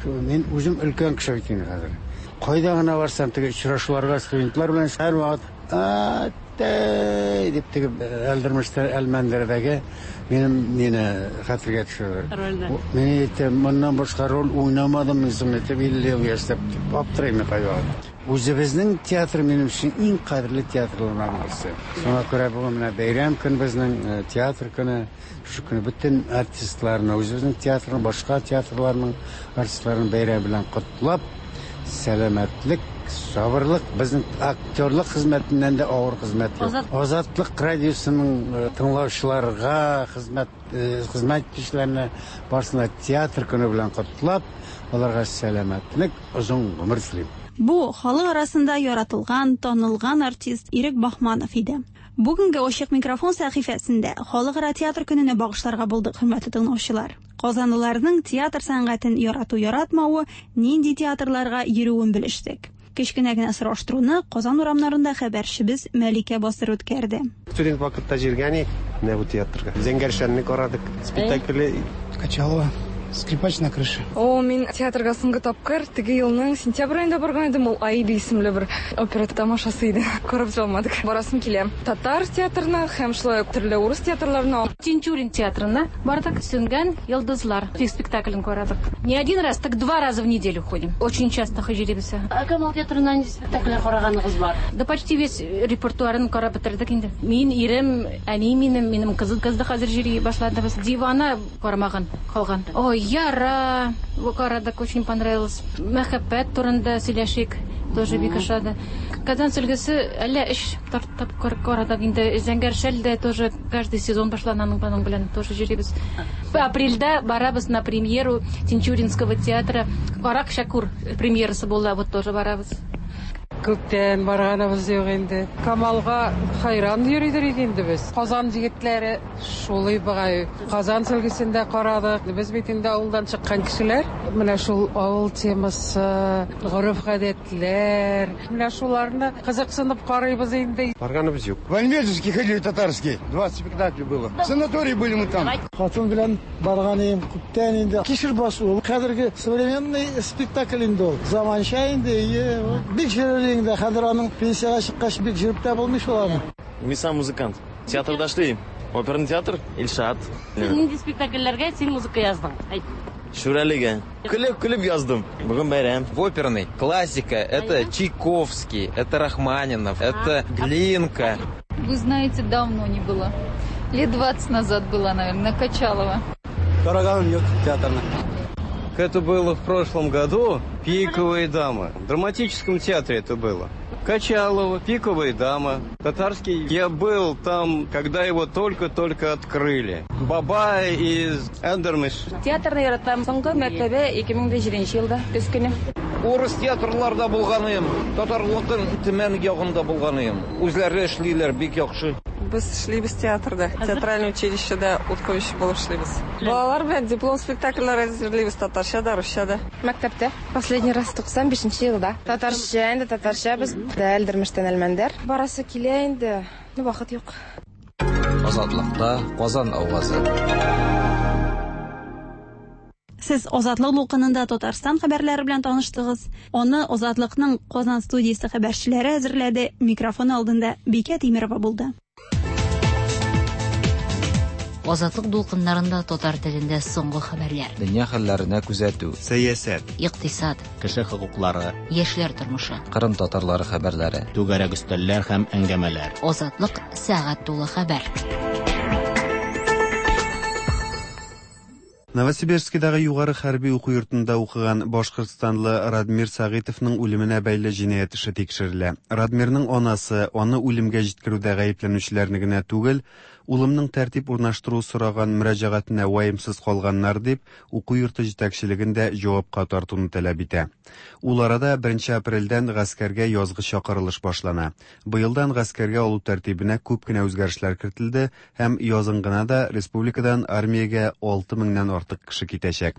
Мин үзем өлкән кеше бит инде хәзер. Кайда гына барсам, теге очрашуларга студентлар белән һәрвакыт Әттәй дип теге Әлдермештә Әлмәндәрдәге минем мине хәтергә төшерде. Рольне. Мин әйтәм, моннан башка роль уйнамадым мин соң әйтеп 50 ел яшьтә дип аптырыйм мин кайвакыт. Үзебезнең театр минем өчен иң кадерле театрларның берсе. Шуңа күрә бүген менә бәйрәм көн безнең, театр көне. Шушы көнне бөтен артистларны, үзебезнең театрның, башка театрларның артистларын бәйрәм белән котлап, сәламәтлек, сабырлык, безнең актерлык хезмәтеннән дә авыр хезмәт юк. Азатлык радиосының тыңлаучыларга, хезмәт хезмәт итүчеләрне барысын да театр көне белән котлап, аларга сәламәтлек, озын гомер телим. Бу, халык арасында яратылган, танылган артист Ирек Баһманов иде. Бүгенге Ачык микрофон сәхифәсендә Халыкара театр көненә багышларга булдык, хөрмәтле тыңлаучылар. Казанлыларның театр сәнгатен ярату-яратмавы, нинди театрларга йөрүен белештек. Кечкенә генә сораштыруны Казан урамнарында хәбәрчебез Мәликә Басыр үткәрде. Студент вакытта җиргән идек менә бу театрга. Зәңгәр шәлне карадык. Спектакле. Качалова. Скрипач на крыше. О, мин театрга соңгы тапкыр теге елның сентябрь аенда барган идем. Ул Аида исемле бер опера тамашасы иде. Карап бетерә алмадык. Барасым килә. Татар театрына һәм шулай ук төрле урыс театрларына. Тинчурин театрына бардык. Сүнгән йолдызлар спектаклен карадык. Не один раз, так два раза в неделю ходим. Очень часто йөрибез. Ә Камал театрында нинди спектакльләр караганыгыз бар? Да почти весь репертуарын карап бетердек инде. Мин, ирем, әни минем, минем кызым кыз да хәзер йөри башлады. Без Дивана карамаган калган. Ой, Яра карадык, очень понравилось. Мәхәббәт турында сөйләшик, тоже бик ошады. Казан сөлгесе әллә өч тапкыр карадык инде. Зәңгәр шәл дә тоже каждый сезон башлана аның белән тоже йөрибез. Апрельдә барабыз на премьеру Тинчуринского театра. Карак Шәкүр премьерасы була, вот тоже барабыз. Күптән барганыбыз юк инде. Камалга хайран йөридер иде инде без. Казан егетләре шулый бугай. Казан сөлгесен дә карадык. Без бит инде авылдан чыккан кешеләр. Менә шул авыл темасы, гореф-гадәтләр, менә шуларны кызыксынып карыйбыз инде. Барганыбыз юк. В Альметьевский ходили татарский. 20 спектаклей было. В санатории были мы там. Хатын белән барган идем күптән инде. Кишер басу ул хәзерге современный спектакль инде ул. Заманча инде, ие. Бик йөрер инде. Хәзер аның пенсиягә чыккач бик йөреп тә булмый шул аны. Мин сам музыкант. Театрда эшлим. Оперный театр, Илшат. Син нинди спектакльләргә син музыка яздың? Әйт. Шүрәлегә. Көлеп-көлеп яздым. Бүген бәйрәм. В оперный классика это Чайковский, это Рахманинов, это Глинка. Вы знаете, давно не было. Лет 20 назад была, наверное, на Качалова. Караганым юк театрны. Это было в прошлом году. Пиковые дамы. В драматическом театре это было. Качалова, Пиковые дамы. Татарский. Я был там, когда его только-только открыли. Бабай из Эндермиш. Театрны яратам. Соңгы мәртәбә 2007 елда көз көне. Урыс театрларда булганым, татарлыкның Төмән ягында булганым. Үзләре эшлиләр бик яхшы. Без эшлибез театрда, театральный училищеда укытучы булып эшлибез. Балалар белән диплом спектакльләр әзерлибез татарча да, русча да. Мәктәптә последний раз 95 елда. Татарча инде, татарча без Әлдермештән Әлмәндәр. Барасы килә инде, но вакыт юк. Азатлыкта Казан авазы. Сез Азатлык дулкынында Татарстан хәбәрләре белән таныштыгыз. Аны Азатлыкның Казан студиясе хәбәрчеләре әзерләде. Микрофон алдында Бикә Тимерова булды. Азатлык дулкыннарында татар телендә соңгы хәбәрләр. Дөнья хәлләренә күзәтү. Сәясәт. Икътисад. Кеше хокуклары. Яшьләр тормышы. Кырым татарлары хәбәрләре. Түгәрәк өстәлләр һәм әңгәмәләр. Азатлык сәгать тулы хәбәр. Новосибирскидагы югары хәрби уку йортында укыган башкортстанлы Радмир Сәгыйтовның үлеменә бәйле җинаять эше тикшерелә. Радмирның анасы аны үлемгә җиткерүдә гаепләнүчеләрне генә түгел, улымның тәртип урнаштыру сораган мөрәҗәгатенә ваемсыз калганнар дип, уку йорты җитәкчелеген дә җавапка тартуны таләп итә. Ул арада 1 апрельдән гаскәргә язгы чакырылыш башлана. Быелдан гаскәргә алу тәртибенә күп кенә үзгәрешләр кертелде һәм язын гына да республикадан армиягә 6 меңнән артык кеше китәчәк.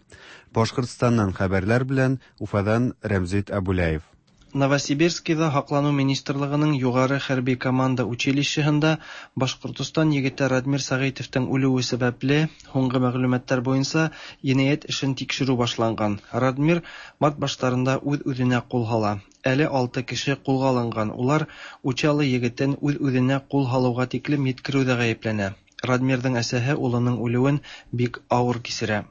Башкортстаннан хәбәрләр белән Уфадан Рәмзит Абуляев. Новосибирскида һаклану министрлыгының югары хәрби команда училищеһында Башкортостан егете Радмир Сәгыйтовтың үлүе сәбәпле, һуңгы мәгълүматлар буенча, җинаять эшен тикшерү башланган. Радмир март башларында үз-үзенә кул һала. Әле алты кеше кулга алынган, улар Учалы егетен үз-үзенә кул һалуга тиклем йиткерүдә гаепләнә. Радмирның әсәһе улының үлүен бик авыр кичерә.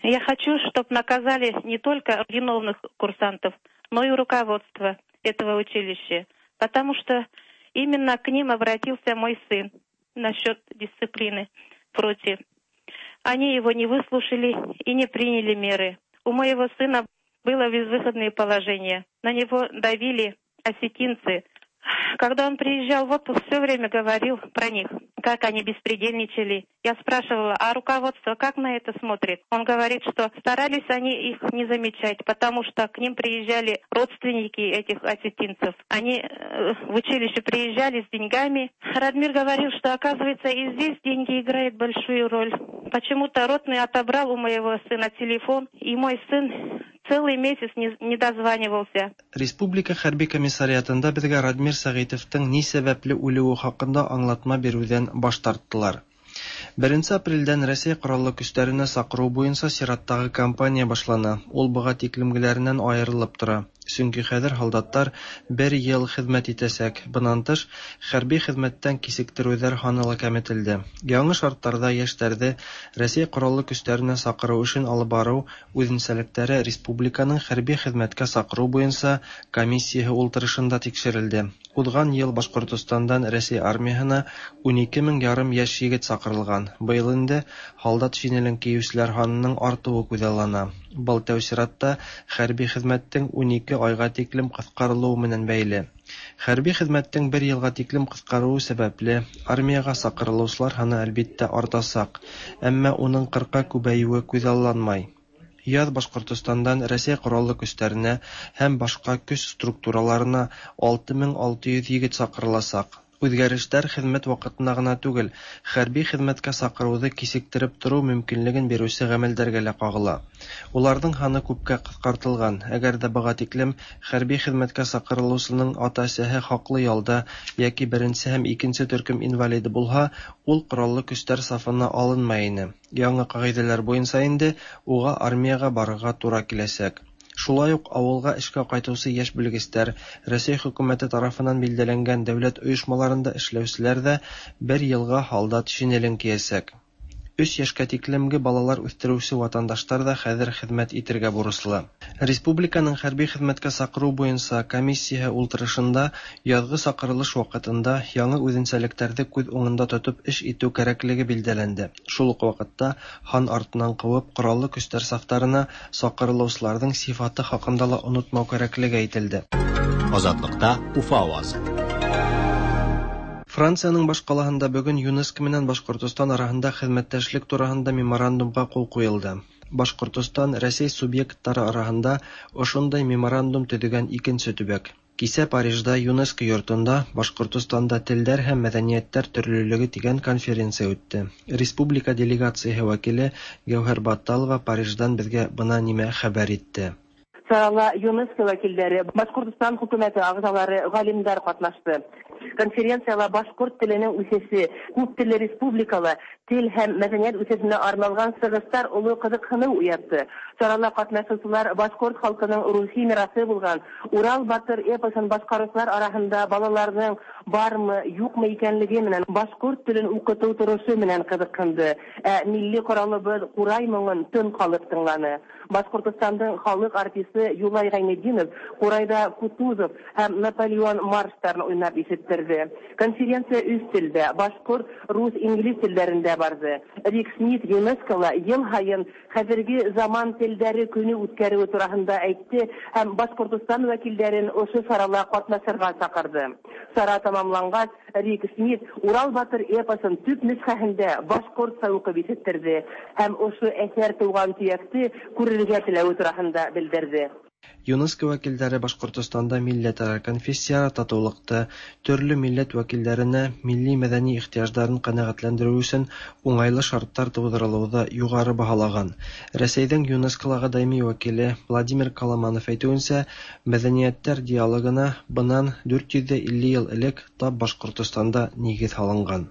Я хочу, чтоб наказали не только виновных курсантов, но и руководство этого училища, потому что именно к ним обратился мой сын насчет дисциплины против. Они его не выслушали и не приняли меры. У моего сына было безвыходное положение. На него давили осетинцы. Когда он приезжал в отпуск, все время говорил про них, как они беспредельничали. Я спрашивала, а руководство как на это смотрит? Он говорит, что старались они их не замечать, потому что к ним приезжали родственники этих осетинцев. Они в училище приезжали с деньгами. Радмир говорил, что, оказывается, и здесь деньги играют большую роль. Почему-то ротный отобрал у моего сына телефон, и мой сын целый месяц не дозванивался. Республика хәрби комиссариатында безгә Радмир Сәгыйтовтың ни сәбәпле үлүе хакында аңлатма бирүдән баш тарттылар. Беренче апрельдән Рәсәй Кораллы Көчләренә сакыру буенча чираттагы кампания башлана. Ул быга тиклемгеләреннән аерылып тора. Чөнки хәзер һалдаттар бер ел хезмәт итәчәк. Быннан тыш, хәрби хезмәттән кичектерүләр һаны ла кәметелде. Яңы шартларда яшьләрде Рәсәй Кораллы Көчләренә сакыру эшен алып бару үзенчәлекләре республиканың хәрби хезмәткә сакыру буенча комиссияһе ултырышында тикшерелде. Узган ел Башкортостандан Рәсәй армияһына 12 мең ярым яшь егет сакырылган. Быел инде һалдат шинелен киючеләр һанының артуы күзаллана. Был тәү чиратта хәрби хезмәттең 12 айга тиклем кыскарылуы менән бәйле. Хәрби хезмәттең бер елга тиклем кыскаруы сәбәпле, армиягә сакырылучылар һаны әлбиттә артасак, әмма уның 40-ка күбәюе күзалланмай. Яз Башкортостандан Рәсәй Кораллы Көчләренә һәм башка көч структураларына 6600 егет сакырыласак. Үзгәрешләр хезмәт вакытына гына түгел, хәрби хезмәткә сакыруды кичектереп тору мөмкинлеген бирүче гамәлдәргә лә кагыла. Уларның һаны күпкә кыскартылган. Әгәр дә быга тиклем хәрби хезмәткә сакырылучының ата-әсәһе хаклы ялда яки беренче һәм икенче төркем инвалиды булһа, ул Кораллы Көчләр сафына алынмай ине. Яңа кагыйдәләр буенча инде уга армиягә барырга тура киләчәк. Шулай ук авылга эшкә кайтучы яшь белгечләр, Рәсәй хөкүмәте тарафыннан билдәләнгән дәүләт оешмаларында эшләүчеләр дә бер елга һалдат шинелен киясәк. Өч яшькә тиклемге балалар үстерүче ватандаштар да хәзер хезмәт итергә бурычлы. Республиканың хәрби хезмәткә сакыру буенча комиссияһе ултырышында язгы сакырылыш вакытында яңы үзенчәлекләрде күз уңында тотып эш итү кәрәклеге билдәләнде. Шул ук вакытта һан артыннан куып Кораллы Көчләр сафтарына сакырылучыларның сифаты хакында ла онытмау кәрәклеге әйтелде. Азатлыкта Уфа авазы. Франциянең башкалаһында бүген ЮНЕСКО менән Башкортостан араһында хезмәттәшлек тураһында меморандумга кул куелды. Башкортостан Рәсәй субъектлары араһында ошондай меморандум төзегән икенче төбәк. Кисә Парижда ЮНЕСКО йортында Башкортостанда телләр һәм мәдәниятләр төрлелеге дигән конференция үтте. Республика делегацияһе вәкиле Гәүһәр Батталова Париждан безгә бына нимә хәбәр итте. Чарала ЮНЕСКО вәкилләре, Башкортостан хөкүмәте әгъзалары, галимнәр катнашты. Конференцияла башкорт теленең үсеше, күп телле республикала тел һәм мәдәният үсешенә арналган чыгышлар олы кызыксыну уятты. Чарала катнашучылар башкорт халкының рухи мирасы булган Урал батыр эпосын башкаручылар арасында балаларның бармы, юкмы икәнлеге менән башкорт телен укыту торышы менән кызыксынды. Ә милли коралыбыз курай моңын тын калып тыңланы. Башкортостандың халык артисты Юлай Гайнетдинов курайда Кутузов һәм Наполеон марштарын уйнап ишеттерде. Конференция өч телдә, башкорт, рус, инглиз телләрендә барды. Рик Смит ЮНЕСКОла ел һаен хәзерге заман телләре көне үткәрүе турасында әйтте һәм Башкортостан вәкилләрен ошо чарала катнашырга чакырды. Чара тәмамлангач, Рик Смит Урал батыр эпосын төп нөсхәһендә башкортча укып ишеттерде һәм ошо әсәр туган төякте күрергә теләве турасында белдерде. ЮНЕСКО вәкилләре Башкортостанда милләтара, конфессияара татулыкты, төрле милләт вәкилләренә милли-мәдәни ихтыяҗларын канәгатьләндерү өчен уңайлы шартлар тудырылуды югары баһалаган. Рәсәйнең ЮНЕСКОлага даими вәкиле Владимир Коломанов әйтүенчә, мәдәниятләр диалогына быннан 450 ел элек тап Башкортостанда нигез һалынган.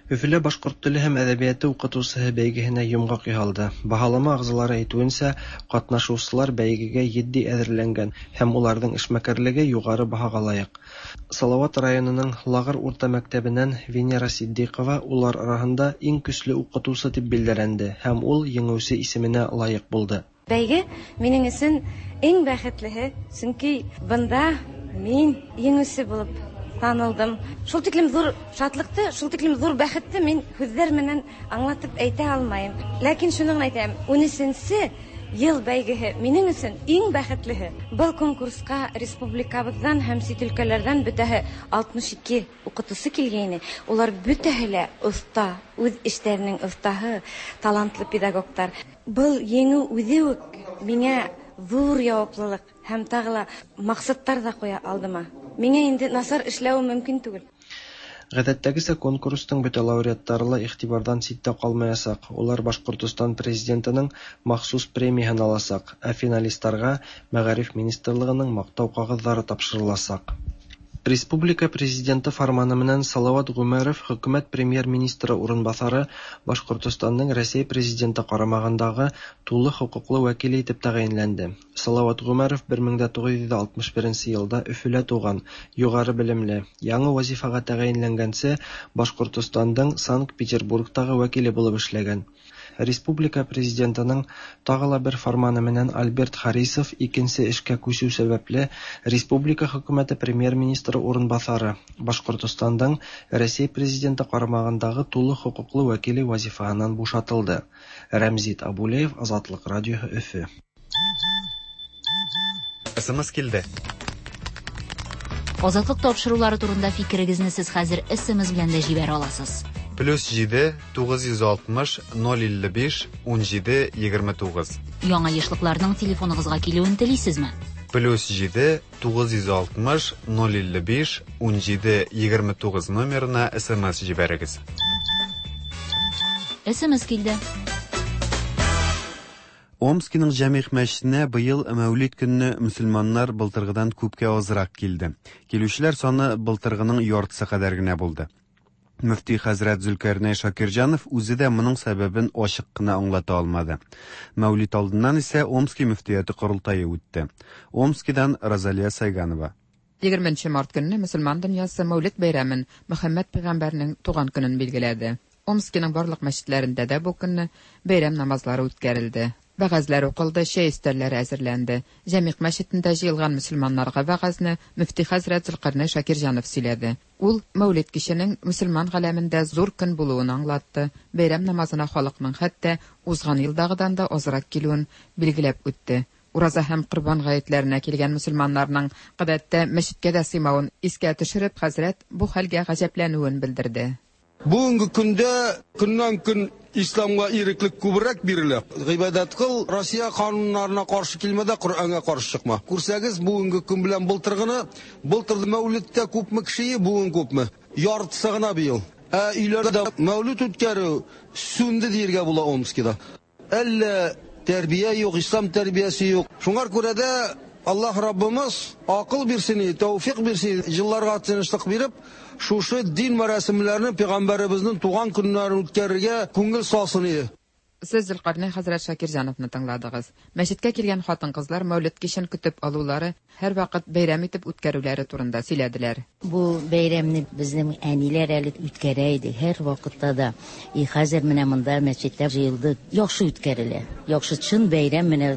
Өфөлә башкорт теле һәм әдәбияты укытучыһы бәйгеһенә йомгак яһалды. Баһалама әгъзалары әйтүенчә, катнашучылар бәйгегә етди әзерләнгән һәм уларның эшмәкәрлеге югары баһага лаек. Салават районының Лагыр урта мәктәбеннән Венера Ситдыйкова улар араһында иң көчле укытучы дип билдәләнде һәм ул җиңүче исеменә лаек булды. Бәйге минем өчен иң бәхетлеһе, чөнки бында мин җиңүче булып танылдым. Шул тиклем зур шатлыкты, шул тиклем зур бәхетте мин сүзләр менән аңлатып әйтә алмыйм. Ләкин шуны гына әйтәм, 13нче ел бәйгеһе минем өчен иң бәхетлеһе. Был конкурска республикабыздан һәм чит өлкәләрдән бөтәһе 62 укытучы килгәйне. Улар бөтәһе лә оста, үз эшләренең остаһы, талантлы педагогтар. Был еңү үзе үк миңа зур яваплылык һәм тагы ла максатлар да куя алдыма. Миңа инде насар эшләвем мөмкин түгел. Гадәттәгечә, конкурсның бөтә лауреатлары ла игътибардан читтә калмаячак, улар Башкортостан Президентының махсус премияһен алачак, ә финалистларга Мәгариф министрлыгының Мактау кәгазьләре тапшырылачак. Республика Президенты фарманы менән Салават Гомәров хөкүмәт премьер-министры урынбасары, Башкортостанның Рәсәй Президенты карамагындагы тулы хокуклы вәкиле итеп тәгаенләнде. Салават Гомәров 1961 елда Өфөлә туган, югары белемле. Яңа вазифага тәгаенләнгәнче Башкортостандың Санкт-Петербургтагы вәкиле булып эшләгән. Республика Президентының тагы ла бер фарманы менән Альберт Харисов икенче эшкә күчү сәбәпле республика хөкүмәте премьер-министры урынбасары, Башкортостандың Рәсәй Президенты карамагындагы тулы хокуклы вәкиле вазифаһыннан бушатылды. Рәмзит Абулеев, Азатлык радиоһы, Өфе. СМС килде. Азатлык тапшырулары турында фикерегезне сез хәзер SMS белән дә җибәрә аласыз. Плюс 7 960 055 17 29. Яңа ешлыкларның телефоныгызга килүен телисезме? Плюс 7 960 055 17 29 номерына СМС җибәрегез. SMS килде. Омскиның Җәмигъ мәчетенә быел Мәүлид көнне мөселманнар былтыргыдан күпкә азрак килде. Килүчеләр саны былтыргының яртысы кадәр генә булды. Мөфти хәзрәт Зөлкәрнәй Шакирҗанов үзе дә моның сәбәбен ачык кына аңлата алмады. Мәүлид алдыннан исә Омски мөфтияте корылтае үтте. Омскидан Розалия Сайганова. 20 март көнне мөселман дөньясы Мәүлид бәйрәмен, Мөхәммәд пәйгамбәрнең туган көнен билгеләде. Омскиның барлык мәчетләрендә дә бу көнне бәйрәм намазлары үткәрелде. Вәгазьләр укылды, чәй өстәлләре әзерләнде. Җәмигъ мәчетендә җыелган мөселманнарга вәгазьне мөфти хәзрәт Зөлкарнәй Шакирҗанов сөйләде. Ул Мәүлид киченең мөселман галәмендә зур көн булуын аңлатты, бәйрәм намазына халыкның хәтта узган елдагыдан да азрак килүен билгеләп үтте. Ураза һәм Корбан гаетләренә килгән мөселманнарның гадәттә мәчеткә дә сыймавын искә төшереп, хәзрәт бу хәлгә гаҗәпләнүен белдерде. Бүгенге көндә көннән-көн исламга иреклек күбрәк бирелә. Гыйбадәт кыл, Россия кануннарына каршы килмә дә, Коръәнгә каршы чыкма. Күрсәгез, бүгенге көн белән былтыргыны, былтыр Мәүлидтә күпме кеше, бүген күпме? Яртысы гына быел. Ә өйләрдә Мәүлид үткәрү сүнде диергә була Омскида. Әллә тәрбия юк, ислам тәрбиясе юк. Шуңар күрә дә Аллаһ Раббымыз акыл бирсен, тәүфик бирсен, елларга тынычлык биреп, шушы дин мәрасимләрен пәйгамбәребезнең туган көннәрен үткәрергә күңел салсын иде. Сез Зөлкарнәй хәзрәт Шакирҗановны тыңладыгыз. Мәчеткә килгән хатын-кызлар Мәүлид кичен көтеп алулары, һәрвакыт бәйрәм итеп үткәрүләре турында сөйләделәр. Бу бәйрәмне безнең әниләр әле үткәрә иде, һәрвакытта да. И хәзер менә монда мәчеттә җыелды. Яхшы үткәрелә. Яхшы чын бәйрәм менә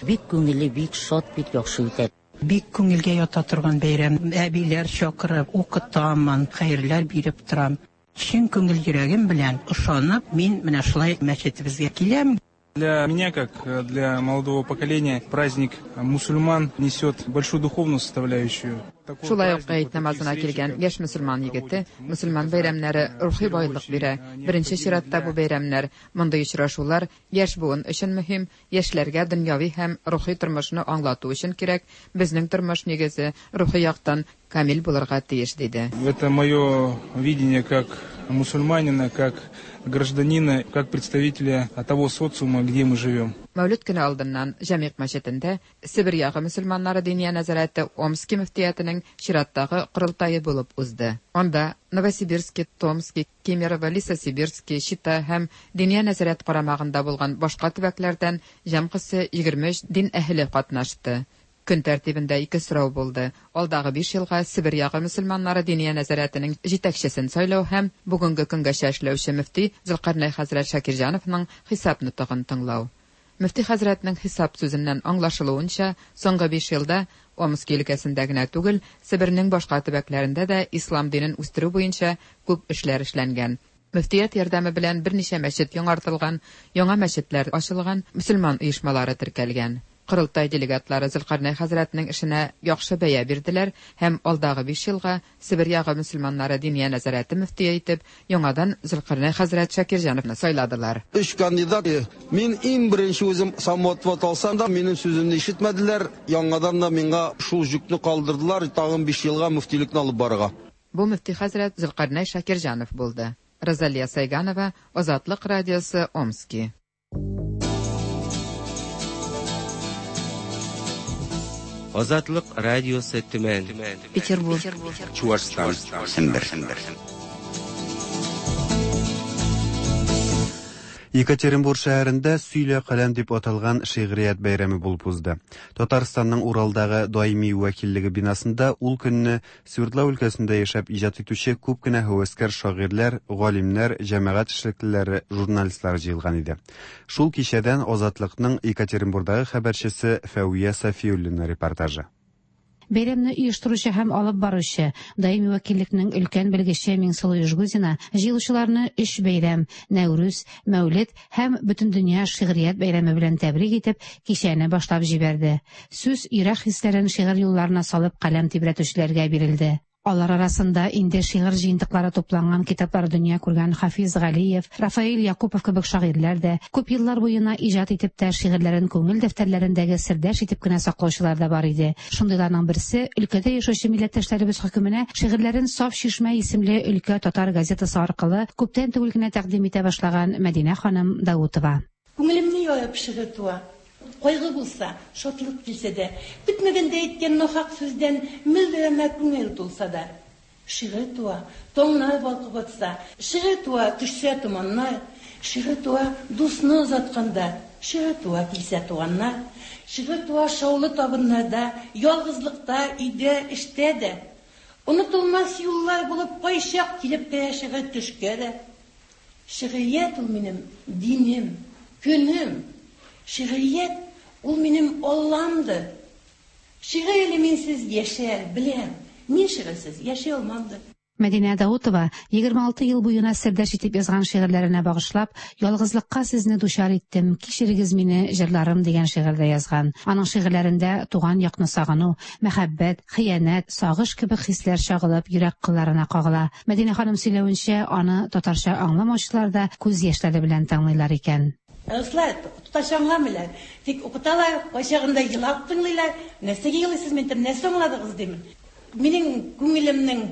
бик күңелле, бик шат, бик яхшы үтә. Бик күңелгә ята торган бәйрәм. Әбиләр чакырып, укытамын, хәерләр биреп торам. Чын күңел йөрәгем белән ышанып, мин менә шулай мәчетебезгә киләм. Для меня, как для молодого поколения, праздник мусульман несет большую духовную составляющую. Шулай ук гает намазына килгән яшь мөселман егете мөселман бәйрәмнәре рухи байлык бирә. Беренче чиратта бу бәйрәмнәр, мондый очрашулар яшь буын өчен мөһим, яшьләргә дөньяви һәм рухи тормышны аңлату өчен кирәк, безнең тормыш нигезе рухи яктан камил булырга тиеш, диде. Это мое видение как мусульманина, как гражданина, как представителя того социума, где мы живем. Мәүлид көне алдыннан Җәмигъ мәчетендә Себер ягы мөселманнары Диния нәзарәте Омски мөфтиятенең чираттагы корылтае булып узды. Анда Новосибирски, Томски, Кемерово, Лесосибирски, Чита һәм Диния нәзарәт карамагында булган башка төбәкләрдән җәмгысе 23 дин әһеле катнашты. Көн тәртибендә ике сорау булды, алдагы биш елга Себер ягы мөселманнары Диния нәзарәтенең җитәкчесен сайлау һәм бүгенге көнгәчә эшләүче мөфти Зөлкарнәй хәзрәт Шакирҗановның хисап нотыгын тыңлау. Мөфти хәзрәтнең хисап сүзеннән аңлашылуынча, соңгы биш елда Омски өлкәсендә генә түгел, Себернең башка төбәкләрендә дә ислам динен үстерү буенча күп эшләр эшләнгән. Мөфтият ярдәме белән берничә мәчет яңартылган, яңа мәчетләр ачылган, мөселман оешмалары теркәлгән. Корылтай делегатлары Зөлкарнәй хәзрәтнең эшенә яхшы бәя бирделәр һәм алдагы биш елга Себер ягы мөселманнары Диния нәзарәте мөфтие итеп яңадан Зөлкарнәй хәзрәт Шакирҗановны сайладылар. Өч кандидат. Мин иң беренче үзем самоотвод алсам да, минем сүземне ишетмәделәр. Яңадан да миңа шул җөкне калдырдылар, тагын биш елга мөфтилекне алып барырга. Бу мөфти хәзрәт Зөлкарнәй Шакирҗанов булды. Розалия Сайганова, Азатлык радиосы, Омски. Азатлык радиосы Төмән. Петербург. Чуашстан. Сембер. Екатеринбург шәһәрендә Сөйлә каләм дип аталган шигърият бәйрәме булып узды. Татарстанның Уралдагы даими вәкиллеге бинасында ул көнне Свердлау өлкәсендә яшәп иҗат итүче күп кенә һәвәскәр шагыйрьләр, галимнәр, җәмәгать эшлеклеләре, журналистлар җыелган иде. Шул кичәдән Азатлыкның Екатеринбурдагы хәбәрчесе Фәвия Сафиуллина репортажы. Бәйрәмне оештыручы һәм алып баручы, даими вәкиллекнең өлкән белгече Миңсылу Ижгузина җыелучыларны өч бәйрәм, Нәүрүз, Мәүлид һәм Бөтендөнья шигърият бәйрәме белән тәбрик итеп, кичәне башлап җибәрде. Сүз йөрәк хисләрен шигырь юлларына салып каләм тибрәтүчеләргә бирелде. Алар арасында инде шигырь җыентыклары тупланган китаплар дөнья күргән Хафиз Галиев, Рафаэль Якупов кебек шагыйрьләр дә, күп еллар буена иҗат итеп тә шигырьләрен күңел дәфтәрләрендәге сердәш итеп кенә саклаучылар да бар иде. Шундыйларның берсе, өлкәдә яшәүче милләттәшләребез хөкеменә шигырьләрен Саф чишмә исемле өлкә татар газетасы аркылы күптән түгел генә тәкъдим итә башлаган Мәдинә ханым Даутова. Күңелемне ярып шигырь туа. Кайгы булса, шатлык килсә дә, көтмәгәндә әйткән нахак сүздән мөлдерәмә күңел тулса да. Шигырь туа, таңнар балкып атса, шигырь туа, төшсә томаннар, шигырь туа, дусны озатканда, шигырь туа, килсә туганнар, шигырь туа шаулы табыннарда, ялгызлыкта, өйдә, эштә дә. Онытылмас юллар булып кайчак килеп керә шигырь төшкә дә. Шигърият ул минем динем, көнем. Шигърият ул минем Алламдыр. Шигырь әле минсез яшәр, беләм. Мин шигырьсез яши алмамдыр. Мәдинә Даутова 26 ел буена сердәш итеп язган шигырьләренә багышлап, Ялгызлыкка сезне дучар иттем, кичерегез мине, җырларым дигән шигырь дә язган. Аның шигырьләрендә туган якны сагыну, мәхәббәт, хыянәт, сагыш кебек хисләр чагылып, йөрәк кылларына кагыла. Мәдинә ханым сөйләвенчә, аны татарча аңламаучылар да күз яшьләре белән тыңлыйлар икән. Руслар татарча аңламыйлар. Тик укыталар, кайчагында елап тыңлыйлар. Нәрсәгә елыйсыз, мин әйтәм, нәрсә аңладыгыз, димен. Минем күңелемнең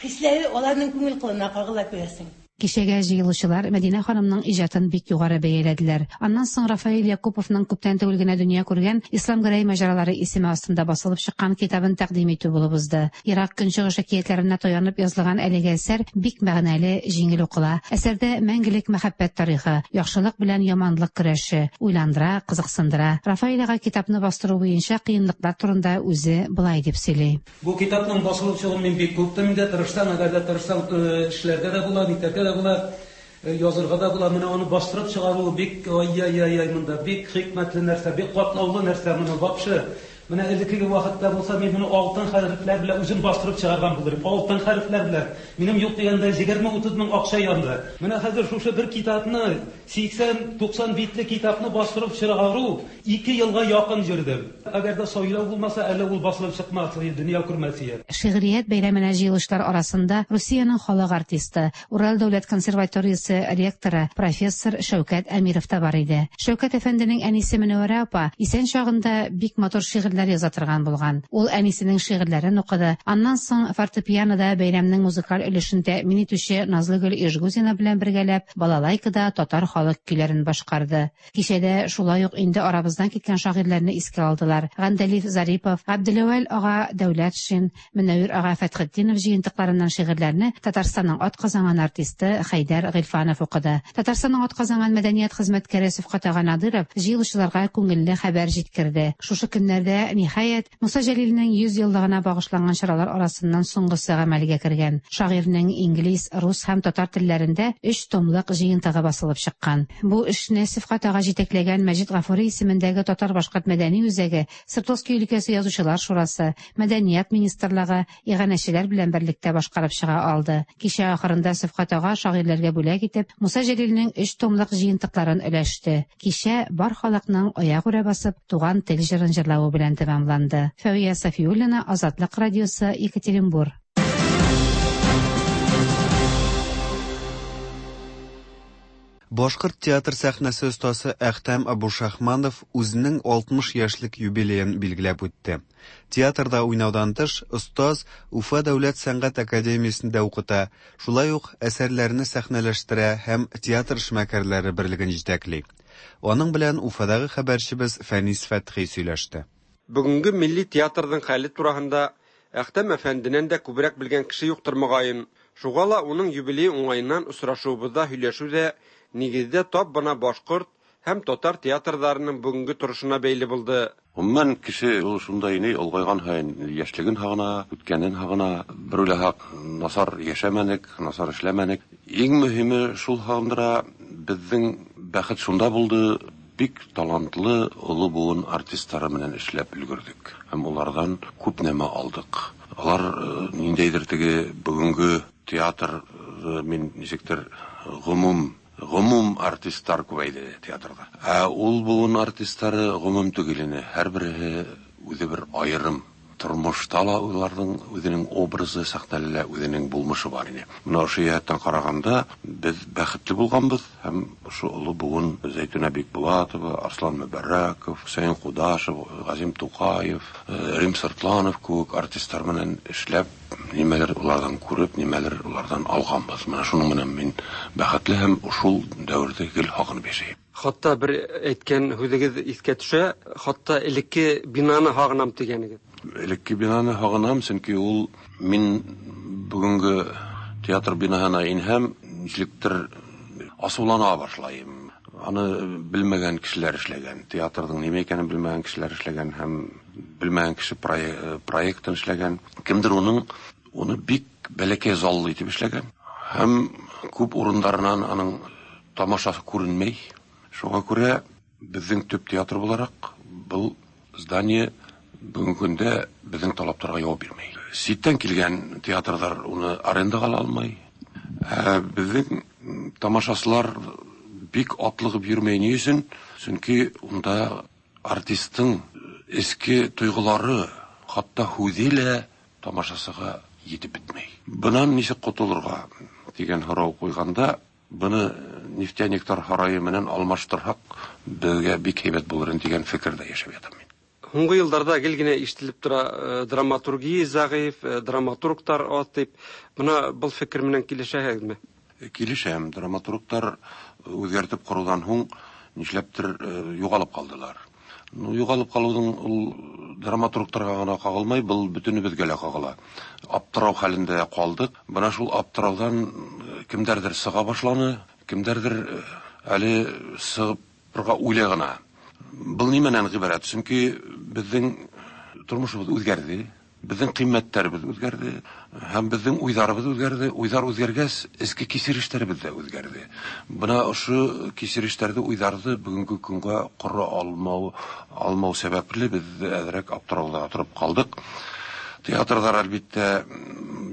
хисләре аларның күңел кылына кагыла, күрәсең. Кичәгә җыелучылар Мәдинә ханымның иҗатын бик югары бәяләделәр. Аннан соң Рафаэль Якуповның күптән түгел генә дөнья күргән Ислам Гәрәй маҗаралары исеме астында басылып чыккан китабын тәкъдим итү булып узды. Ерак Көнчыгыш әкиятләренә таянып язылган әлеге әсәр бик мәгънәле, җиңел укыла. Әсәрдә мәңгелек мәхәббәт тарихы, яхшылык белән яманлык көрәше, уйландыра, кызыксындыра. Рафаэль ага китапны бастыру буенча кыенлыклар турында үзе болай дип сөйли. Бу китапның басылып чыгуын мин бик көттем инде, тырышсаң, әгәр дә тырышсаң, эшләргә дә була, нитәргә дә була, язырга да була. Менә аны бастырып чыгару бик, ай-яй-яй-яй, монда бик хикмәтле нәрсә, бик катлаулы нәрсә моны вообще. Менә элеккеге вакытта булса, мин моны алтын хәрефләр белән үзем бастырып чыгарган булыр идем. Алтын хәрефләр белән. Минем юк дигәндә егерме-утыз мең акча янды. Менә хәзер шушы бер китапны, 80-90 битле китапны бастырып чыгару Ике елга якын йөрдем. Әгәр дә сайлау булмаса, әле ул басылып чыкмас иде, дөнья күрмәс иде. Шигърият бәйрәменә җыелучылар арасында Русиянең халык артисты, Урал дәүләт консерваториясе ректоры, профессор Шәүкәт Әмиров та бар иде. Шәүкәт әфәнденең әнисе Мөнәвәрә апа исән чагында бик матур шигырьләр рәсемнәр яза торган булган. Ул әнисенең шигырьләрен укыды. Аннан соң фортепианода бәйрәмнең музыкаль өлешен тәэмин итүче Назлыгөл Ижгузина белән бергәләп балалайкада татар халык көйләрен башкарды. Кичәдә шулай ук инде арабыздан киткән шагыйрьләрне искә алдылар. Гандәлиф Зарипов, Габделәүәл ага Дәүләтшин, Мөнәвир ага Фәтхетдинов җыентыкларыннан шигырьләрне Татарстанның атказанган артисты Хәйдәр Гыйльфанов укыды. Татарстанның атказанган мәдәният хезмәткәре Сөфкать ага Надыров җыелучыларга күңелле хәбәр җиткерде. Шушы көннәрдә, ниһаять, Муса Җәлилнең 100 еллыгына багышланган чаралар арасыннан соңгысы гамәлгә кергән. Шагыйрьнең инглиз, рус һәм татар телләрендә өч томлык җыентыгы басылып чыккан. Бу эшне Сөфкать ага җитәкләгән Мәҗит Гафури исемендәге Татар-башкорт мәдәни үзәге, Свердловски өлкәсе язучылар шурасы, Мәдәният министрлыгы, иганәчеләр белән берлектә башкарып чыга алды. Кичә ахырында Сөфкать ага шагыйрьләргә бүләк итеп, Муса Җәлилнең өч томлык җыентыкларын өләште. Кичә бар халыкның аягүрә басып, Туган тел җырын җырлавы белән тәмамланды. Фәвия Сафиуллина, Азатлык радиосы, Екатеринбур. Башкорт театр сәхнәсе остасы Әхтәм Абушахманов үзенең 60 яшьлек юбилеен билгеләп үтте. Театрда уйнаудан тыш, остаз Уфа дәүләт сәнгать академиясендә укыта, шулай ук әсәрләрне сәхнәләштерә һәм театр эшмәкәрләре берлеген җитәкли. Аның белән Уфадагы хәбәрчебез Фәнис Фәтхи сөйләште. Бүгенге милли театрның хәле тураһында Әхтәм әфәнденән дә күбрәк белгән кеше юктыр, мөгаен. Шуга ла уның юбилее уңаеннан очрашуыбызда һөйләшү дә, нигездә, тап бына башкорт һәм татар театрдарының бүгенге торышына бәйле булды. Гомумән, кеше ул шундай ни, олгайган һаен яшьлеген һагына, үткәнен һагына. Бер уйласак, насар яшәмәнек, насар эшләмәнек. Иң мөһиме шул һагындыра, безнең бәхет шунда булды, бик талантлы олы буын артистлары белән эшләп өлгердек һәм улардан күп нәмә алдык. Алар ниндәйдер теге бүгенге театр, мин ничектер гомум гомум артистлар күбәйде театрда. Ә ул буын артистлары гомум түгел ине, һәрбереһе үзе бер аерым. Тормышта ла уларның үзенең образы, сәхнәле лә үзенең булмышы бар ине. Менә ошо җәһәттән караганда, без бәхетле булганбыз һәм ошо олы буын Зәйтүнә Бикбулатова, Арслан Мөбәрәков, Хөсәен Кудашев, Газим Тукаев, Рим Сыртланов кебек артистлар белән эшләп, нимәлер улардан күреп, нимәлер улардан алганбыз. Менә шуның белән мин бәхетле һәм шул дәвердә гел һагынып яшәйм. Хатта бер әйткән һүзегез искә төшә, хатта элекке бинаны һагынам дигәнегез. Элекке бинаны һагынам, чөнки ул мин бүгенге театр бинаһына инһәм, ничектер асулана башлайым. Аны белмәгән кешеләр эшләгән, театрның нимә икәнен белмәгән кешеләр эшләгән һәм белмәгән кеше проектын эшләгән. Кемдер уның уны бик бәләкәй заллы итеп эшләгән һәм күп урыннарыннан аның Тамашасы күренмәй. Шуңа күрә безнең төп театр буларак был здание бүгенге көндә безнең талапларга җавап бирмәй. Читтән килгән театрлар уны арендага ала алмый. Ә безнең тамашачылар бик атлыгып йөрмәй. Ни өчен? Чөнки унда артистның эчке тойгылары, хатта һүзе лә тамашачыга җитеп бетмәй. Бынан ничек котылырга дигән һорау куйганда, Быны нефтяниклар һарае менән алмаштырһак, безгә бик һәйбәт булыр иде дигән фикердә яшәп ятам мин. Һуңгы елларда гел генә ишетелеп тора, драматургия зәгыйфь, драматургтар аз дип. Мына был фикер менән килешәһегезме? Килешәм. Драматургтар үзгәртеп корудан һуң нишләптер югалып калдылар. Ну, югалып калуның ул драматургтарга гына кагылмай, был бөтенебезгә лә кагыла. Аптырау хәлендә калдык. Менә шул аптыраудан кемдәрдер сыга башланы, кемдәрдер әле сыгырга уйлый гына. Был нимәнән гыйбарәт? Чөнки безнең тормышыбыз үзгәрде. Безнең кыйммәтләребез үзгәрде һәм безнең уйларыбыз үзгәрде. Уйлар үзгәргәч, эчке кичерешләребез дә үзгәрде. Менә ошо кичерешләрне, уйларны бүгенге көнгә кора алмау, алмау сәбәпле без әзрәк аптырауда торып калдык. Театрлар, әлбиттә,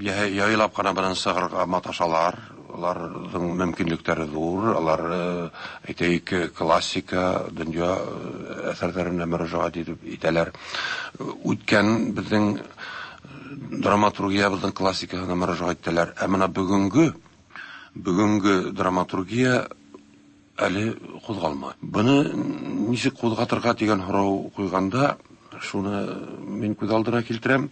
яйлап кына белән чыгарга маташалар. Аларның мөмкинлекләре зур, алар, әйтәйек, классика, дөнья әсәрләренә мөрәҗәгать итеп итәләр. Үткән безнең драматургиябезнең классикасына мөрәҗәгать итәләр. Ә менә бүгенге бүгенге драматургия әле кузгалмый. Быны ничек кузгатырга дигән һорау куйганда, Шуны мин күз алдына килтерәм.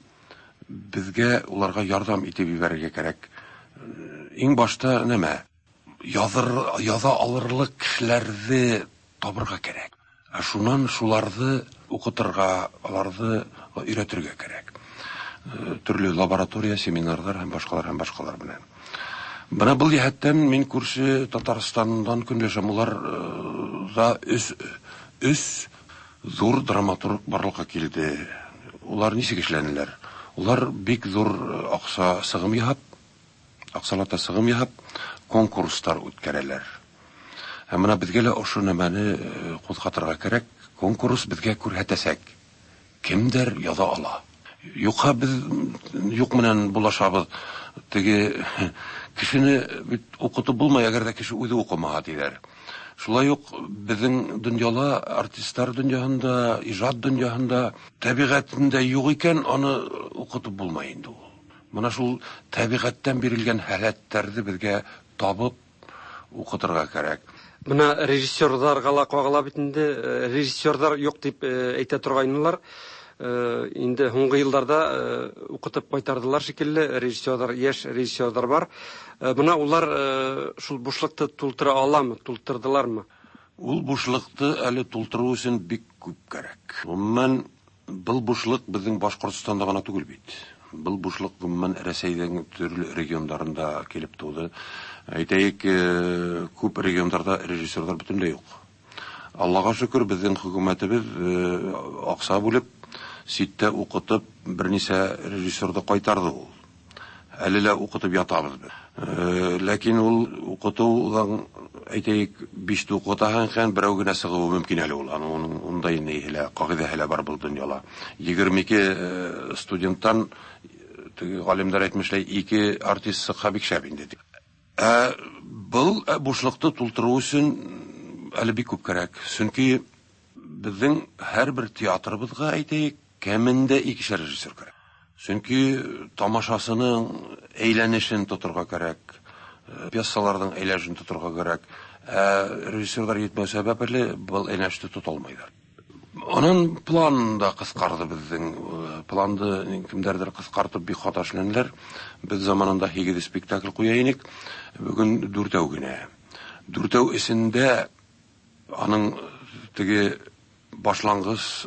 Безгә уларга ярдәм итеп җибәрергә кирәк. Иң башта нәмә? Языр, яза алырлык кешеләрне табырга кирәк. Ә шуннан шуларны укытырга, аларны өйрәтергә кирәк. Төрле лаборатория, семинарлар һәм башкалар һәм башкалар белән. Менә был җәһәттән мин күрше Татарстаннан көнләшәм. Улар да өс өс зур драматург барлыкка килде. Улар ничек эшләнеләр? Улар бик зур акча сыгым яһап, акчалата сыгым яһап, конкурслар үткәрәләр. Һәм менә безгә лә ошо нәмәне кузгатырга кирәк. Конкурс безгә күрһәтәсәк, кемдер яза ала. Юкка без юк менән булашабыз. Теге кешене бит укытып булмай, әгәр дә кеше үзе укымага диләр. Шулай ук безнең дөньяла, артистлар дөньяһында, иҗат дөньяһында табигатендә юк икән, аны укытып булмай инде ул. Менә шул табигатьтән бирелгән халәтләрне безгә табып укытырга кирәк. Менә режиссерларга ла кагыла бит инде, режиссерлар юк дип әйтә торгайнылар. Инде һуңгы елларда укытып кайтардылар шикелле, режиссерлар, яшь режиссерлар бар. Менә улар шул бушлыкты тултыра аламы, тултырдылармы? Ул бушлыкты әле тултыру өчен бик күп кирәк. Гомумән, был бушлык безнең Башкортстанда гына түгел бит. Был бушлык гомумән Рәсәйнең төрле регионнарында килеп туды. Әйтәйек, күп регионнарда режиссерлар бөтенләй юк. Аллага шөкер, безнең хөкүмәтебез акча бүлеп, ситтә укытып, берничә режиссерды кайтарды ул. Әле лә укытып ятабыз без. Ләкин ул укытудан, әйтәйек, биш укытаһың икән, берәү генә чыгуы мөмкин әле ул. Аның уның ундай ни һелә, кагыйдә һелә бар был дөньяла. 22 студенттан, теге галимнәр әйтмешләй, 2 артист чыкса бик шәп инде. Ә был бушлыкты тултыру өчен әле бик күп кирәк. Чөнки безнең һәрбер театрыбызга, әйтәйек, кәмендә икешәр режиссер кирәк. Чөнки тамашасының әйләнешен тотырга кирәк, пьесаларның әйләнешен тотырга кирәк. Ә режиссерлар җитмәү сәбәпле был әйләнешне тота алмыйлар. Аның план да кыскарды безнең. Планды кемдәрдер кыскартып бик хата эшләнделәр. Без заманында 8 спектакль куя инек, бүген дүртәү генә. Дүртәү эчендә аның теге башлангыч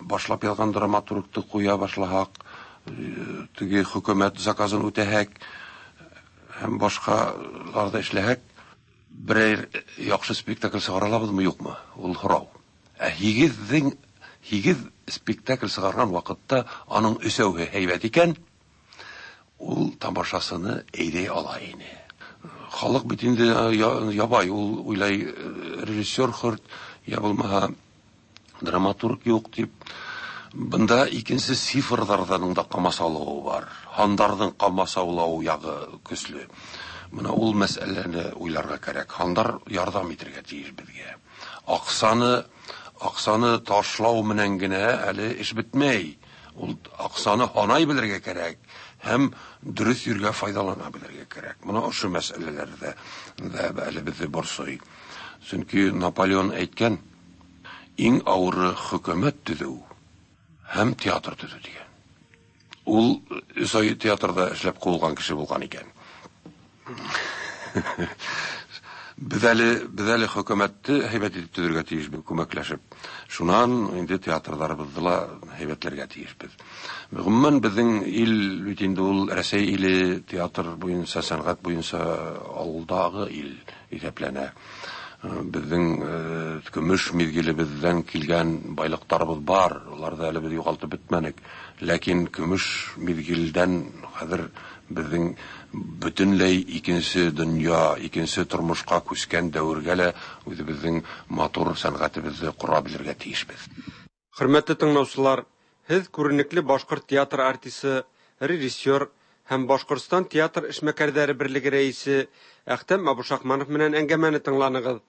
башлап язган драматургты куя башлаһак, теге хөкүмәт заказын үтәһәк һәм башкаларда эшләһәк, берәр яхшы спектакль чыгара алабызмы, юкмы? Ул һорау. Ә һигез спектакль чыгарган вакытта аның өсәүе һәйбәт икән, ул тамашасыны әйдәй ала ине. Халык бит инде ябай, ул уйлай режиссер хөрт, я булмаһа драматург юк дип. Бында икенче цифрлардан да камасаулавы бар. Һандарның камасаулавы ягы көчле. Менә ул мәсьәләне уйларга кирәк. Һандар ярдәм итәргә тиеш безгә. Аксаны ташлау менән генә әле эш бетмәй. Ул аксаны һанай белергә кирәк һәм дөрес йөргә файдалана белергә кирәк. Менә ошо мәсьәләләрдә дә әле безне борсый. Чөнки Наполеон әйткән, иң авыры хөкүмәт төзү һәм театр төзү дигән. Ул өч ай театрда эшләп куылган кеше булган икән. Без әле хөкүмәтне һәйбәт итеп төзергә тиешбез, күмәкләшеп. Шуннан инде театрларыбызны ла һәйбәтләргә тиешбез. Гомумән, безнең ил бит инде ул Рәсәй иле театр буенча, сәнгать буенча алдагы ил исәпләнә. Безнең көмеш мизгелебездән килгән байлыктарыбыз бар, аларны әле без югалтып бетмәдек. Ләкин көмеш мизгелдән хәзер безнең бөтенләй икенче дөнья, икенче тормышка күчкән дәвергә лә үзебезнең матур сәнгатебезне кора белергә тиешбез. Хөрмәтле тыңлаучылар, һеҙ күренекле башҡорт театр артисы, режиссер һәм Башҡортостан театр эшмәкәрҙәре берлеге рәисе Әхтәм Абушахманов менән әңгәмәне тыңланығыҙ.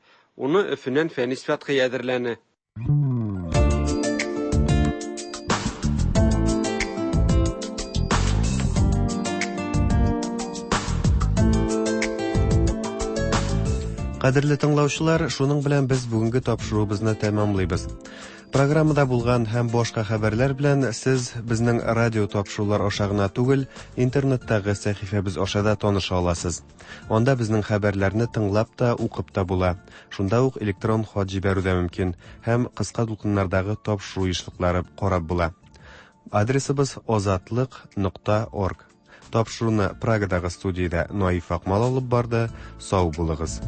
Уны Өфөнән Фәнис Фәтхи әҙерләне. Кадерле тыңлаучылар, шуның белән без бүгенге тапшыруыбызны тәмамлыйбыз. Программада булган һәм башка хәбәрләр белән сез безнең радио тапшырулар аша гына түгел, интернеттагы сәхифәбез аша да таныша аласыз. Анда безнең хәбәрләрне тыңлап та, укып та була. Шунда ук электрон хат җибәрү дә мөмкин һәм кыска дулкыннардагы тапшыру ешлыклары карап була. Адресыбыз озатлык нокта орг. Тапшыруны Прагадагы студиядә Наиф Акмал алып барды. Сау булыгыз.